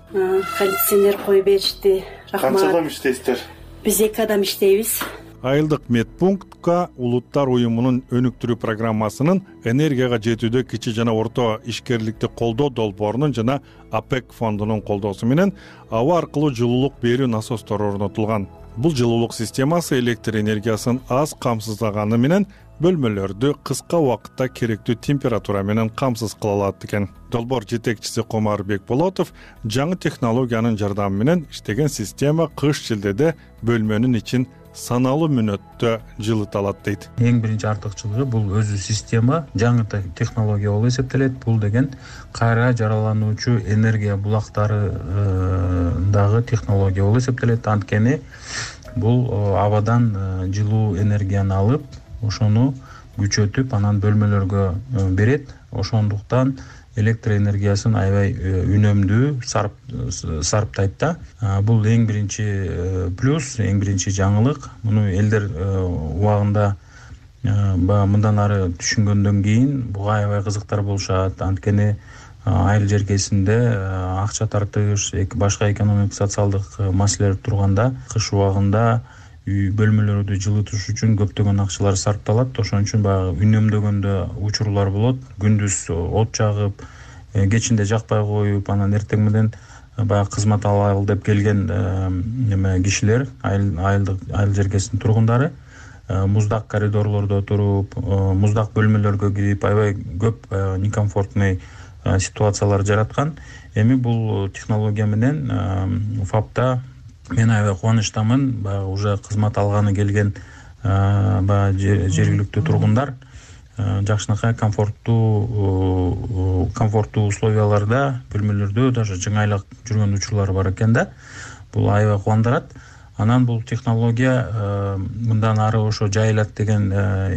Кондиционер коюп беришти. Рахмат. Канча адам иштейсиздер? Биз 2 адам иштейбиз. Айылдык медпунктка Улуттар уюмунун өнүктүрүү программасынын энергияга жетүүдө кичи жана орто ишкерликти колдоо долбоорунун жана АПЭК фондунун колдоосу менен аба аркылуу жылуулук берүү насостору орнотулган. Бул жылуулук системасы электр энергиясын аз камсыздаганы менен бөлмөлөрдү кыска убакытта керектүү температура менен камсыз кыла алат экен. Долбоор жетекчиси Комар Бекболотов жаңы технологиянын жардамы менен иштеген система кыш шилдеде бөлмөнүн ичин саналуу мүнөттө жылыта алат дейт. Эң биринчи артыкчылыгы бул өзү система жаңы технология болуп эсептелет. Бул деген кайра жаралануучу энергия булактары дагы технология болуп эсептелет. Анткени бул абадан жылуу энергияны алып, ошону күчөтүп, анан бөлмөлөргө берет. Ошондуктан электр энергиясын аябай үнөмдүү сарптайт да. Бул эң биринчи плюс, эң биринчи жаңылык. Муну элдер убагында мындан ары түшүнгөндөн кийин буга аябай кызыктар болушат. Анткени айыл жеркесинде акча тартыш, башка экономик социалдык маселелер турганда кыш убагында үй бөлмөлөрдү жылытыш үчүн көптөгөн акчалар сарпталат. Ошон үчүн баягы үнөмдөгөндө учурлар болот. Күндүз от жагып, кечинде жакпай коюп, анан эртең менен баягы кызмат алалы деп келген кишилер, айыл жеркесинин тургундары муздак коридорлордо туруп, муздак бөлмөлөргө кирип, аябай көп некомфортный ситуациялар жараткан. Эми бул технология менен ФАПта мен аябай кубанычтамын. Баягы уже кызмат алганы келген баягы жергиликтүү тургундар жакшынакай комфорттуу условияларда бөлмөлөрдө даже жыңайлап жүргөн учурлар бар экен да. Бул аябай кубандырат. Анан бул технология мындан ары ошо жайылат деген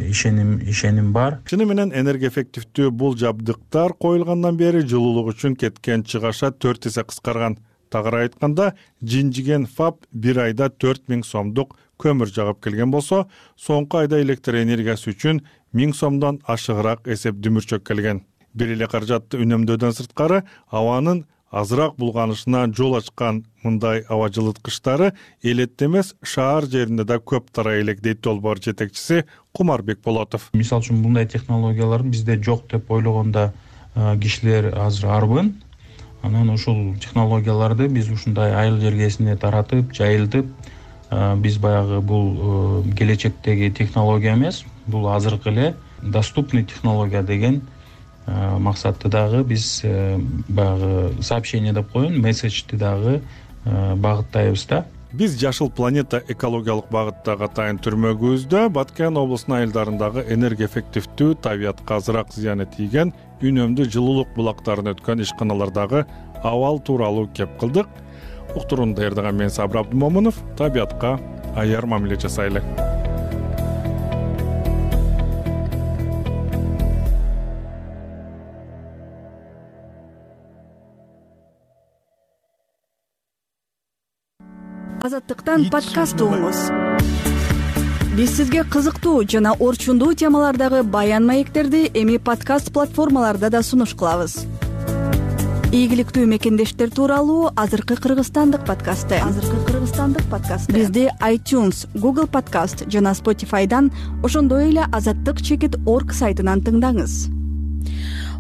ишеним бар. Чыны менен энергия эффективдүү бул жабдыктар коюлгандан бери жылуулук үчүн кеткен чыгаша 4 эсе кыскарган. Тагыраак айтканда, жинжиген ФАП бир айда 4000 сомдук көмүр жагып келген болсо, соңку айда электр энергиясы үчүн 1000 сомдон ашыгыраак эсеп дүмүрчөк келген. Бир эле каражатты үнөмдөөдөн сырткары абанын азыраак булганышына жол ачкан мындай аба жылыткычтары элетте эмес, шаар жеринде да көп тарай элек, дейт долбоор жетекчиси Кумарбек Болотов. Мисалы үчүн мындай технологиялардын бизде жок деп ойлогондо кишилер азыр арбын. Анан ушул технологияларды биз ушундай айыл жергесине таратып, жайылтып, биз баягы бул келечектеги технология эмес, бул азыркы эле доступный технология деген максатты дагы биз баягы сообщение деп коеюн, месседжди дагы багыттайбыз да. Биз Жашыл планета экологиялык багыттагы атайын түрмөгүбүздө Баткен облусунун айылдарындагы энергия эффективдүү, табиятка азыраак зыяны тийген, үнөмдүү жылуулук булактарын өткөн ишканалардагы абал тууралуу кеп кылдык. Уктурууну даярдаган мен Сабыр Абдымомунов. Табиятка аяр мамиле жасайлы. Азаттыктан подкаст угуңуз. Биз сизге кызыктуу жана орчундуу темалардагы баян маектерди эми подкаст платформаларда да сунуш кылабыз. Ийгиликтүү мекендештер тууралуу азыркы Кыргызстандык подкасты. Бизди iTunes, Google Podcast жана Spotify'дан, ошондой эле azattyk.org сайтынан тыңдаңыз.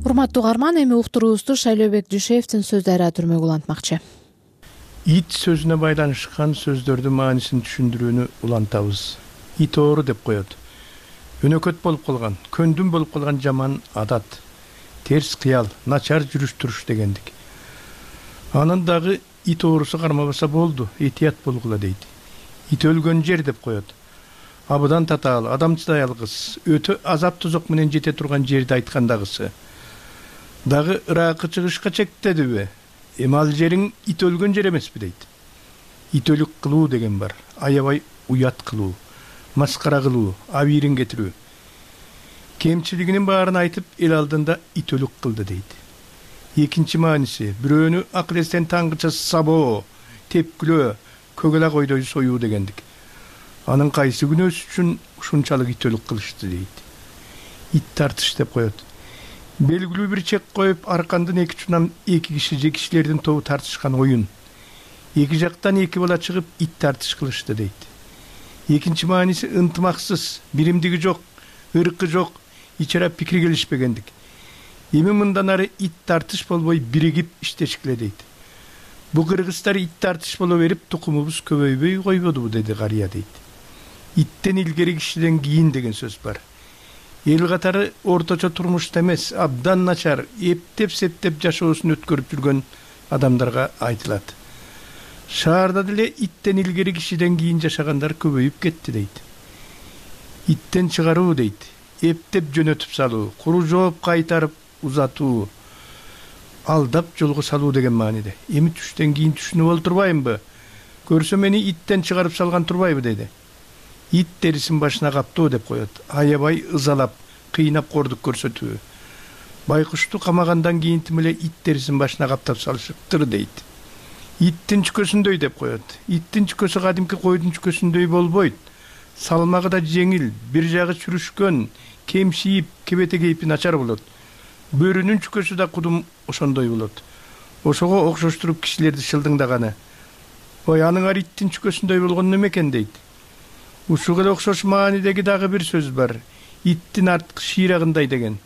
Урматтуу угарман, эми уктуруубузду Шайлообек Дүйшеевдин сөздөрү түрмөгү улантмакчы. Ит сөзүнө байланышкан сөздөрдүн маанисин түшүндүрүүнү улантабыз. Ит оору деп коет. Өнөкөт болуп калган, көндүм болуп калган жаман адат, терс кыял, начар жүрүш-туруш дегендик. Анын дагы ит оорусу кармабаса болду, этият болгула дейт. Ит өлгөн жер деп коет. Абыдан татаал, адам чыдай алгыс, өтө азап тозок менен жете турган жерди айткандагысы. Дагы ыракы чыгышка чектедиби? Эми ал жериң ит өлгөн жер эмеспи дейт. Ит өлүк кылуу деген бар. Аябай уят кылуу, маскара кылуу, абийирин кетирүү. Кемчилигинин баарын айтып, эл алдында ит өлүк кылды дейт. Экинчи мааниси, бирөөнү акыл эстен таңгыча сабоо, тепкилөө, көгөлак ойдой союу дегендик. Анын кайсы күнөөсү үчүн ушунчалык ит өлүк кылышты дейт. Ит тартыш деп коет. Белгилүү бир чек коюп, аркандын эки учунан эки киши же кишилердин тобу тартышкан оюн. Эки жактан эки бала чыгып, ит тартыш кылышты дейт. Экинчи мааниси ынтымаксыз, биримдиги жок, ыркы жок, ичара пикир келишпегендик. Эми мындан ары ит тартыш болбой биригип иштешкиле дейт. Бу кыргыздар ит тартыш боло берип, тукумубуз көбөйбөй койбодубу, деди карыя дейт. Иттен илгери кишиден кийин деген сөз бар. Эл катары орточо турмушта эмес, абдан начар, эптеп-септеп жашоосун өткөрүп жүргөн адамдарга айтылат. Шаарда деле иттен илгери кишиден кийин жашагандар көбөйүп кетти дейт. Иттен чыгаруу дейт, эптеп жөнөтүп салуу, куру жооп кайтарып узатуу, алдап жолго салуу деген мааниде. Эми түштөн кийин түшүнүп олтурбаймбы? Көрсө мени иттен чыгарып салган турбайбы деди. Ит терисин башына каптоо деп коет. Аябай ызалап, кыйнап кордук көрсөтүү. Байкушту камагандан кийин эле ит терисин башына каптап салышыптыр дейт. Иттин чүкөсүндөй деп коет. Иттин чүкөсү кадимки койдун чүкөсүндөй болбойт. Салмагы да жеңил, бир жагы чүрүшкөн, кемшиип, кебете кейпи начар болот. Бөрүнүн чүкөсү да кудум ошондой болот. Ошого окшоштуруп кишилерди шылдыңдаганы. Ой, аныңар иттин чүкөсүндөй болгон неме экен дейт. ушуга эле окшош маанидеги дагы бир сөз бар. Иттин арткы шыйрагындай деген.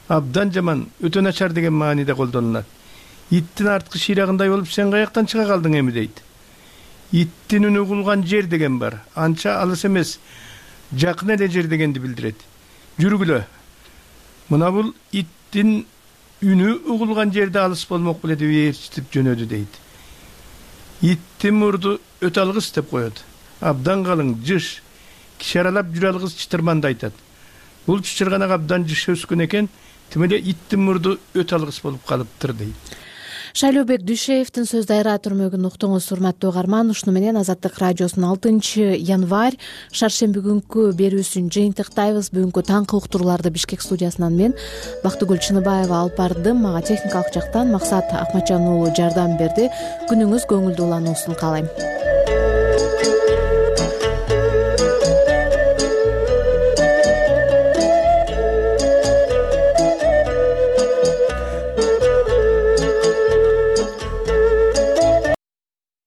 Абдан жаман, өтө начар деген мааниде колдонулат. Иттин арткы шыйрагындай болуп сен каяктан чыга калдың эми дейт. Иттин үнү угулган жер деген бар. Анча алыс эмес, жакын эле жер дегенди билдирет. Жүргүлө. Мына бул иттин үнү угулган жерде алыс болмок беле деп ээрчитип жөнөдү дейт. Иттин мурду өтө алгыс деп коет. Абдан калың, жыш, киши аралап жүрө алгыс чытырманды айтат. Бул чычырганак абдан жыш өскөн экен, тим эле иттин мурду өтө алгыс болуп калыптыр дейт. Шайлообек Дүйшеевдин сөз дайра түрмөгүн уктуңуз, урматтуу угарман. Ушуну менен Азаттык радиосунун 6 январь шаршемби күнкү берүүсүн жыйынтыктайбыз. Бүгүнкү таңкы уктурууларды Бишкек студиясынан мен Бактыгүл Чыныбаева алып бардым. Мага техникалык жактан Максат Акматжан уулу жардам берди. Күнүңүз көңүлдүү улануусун каалайм.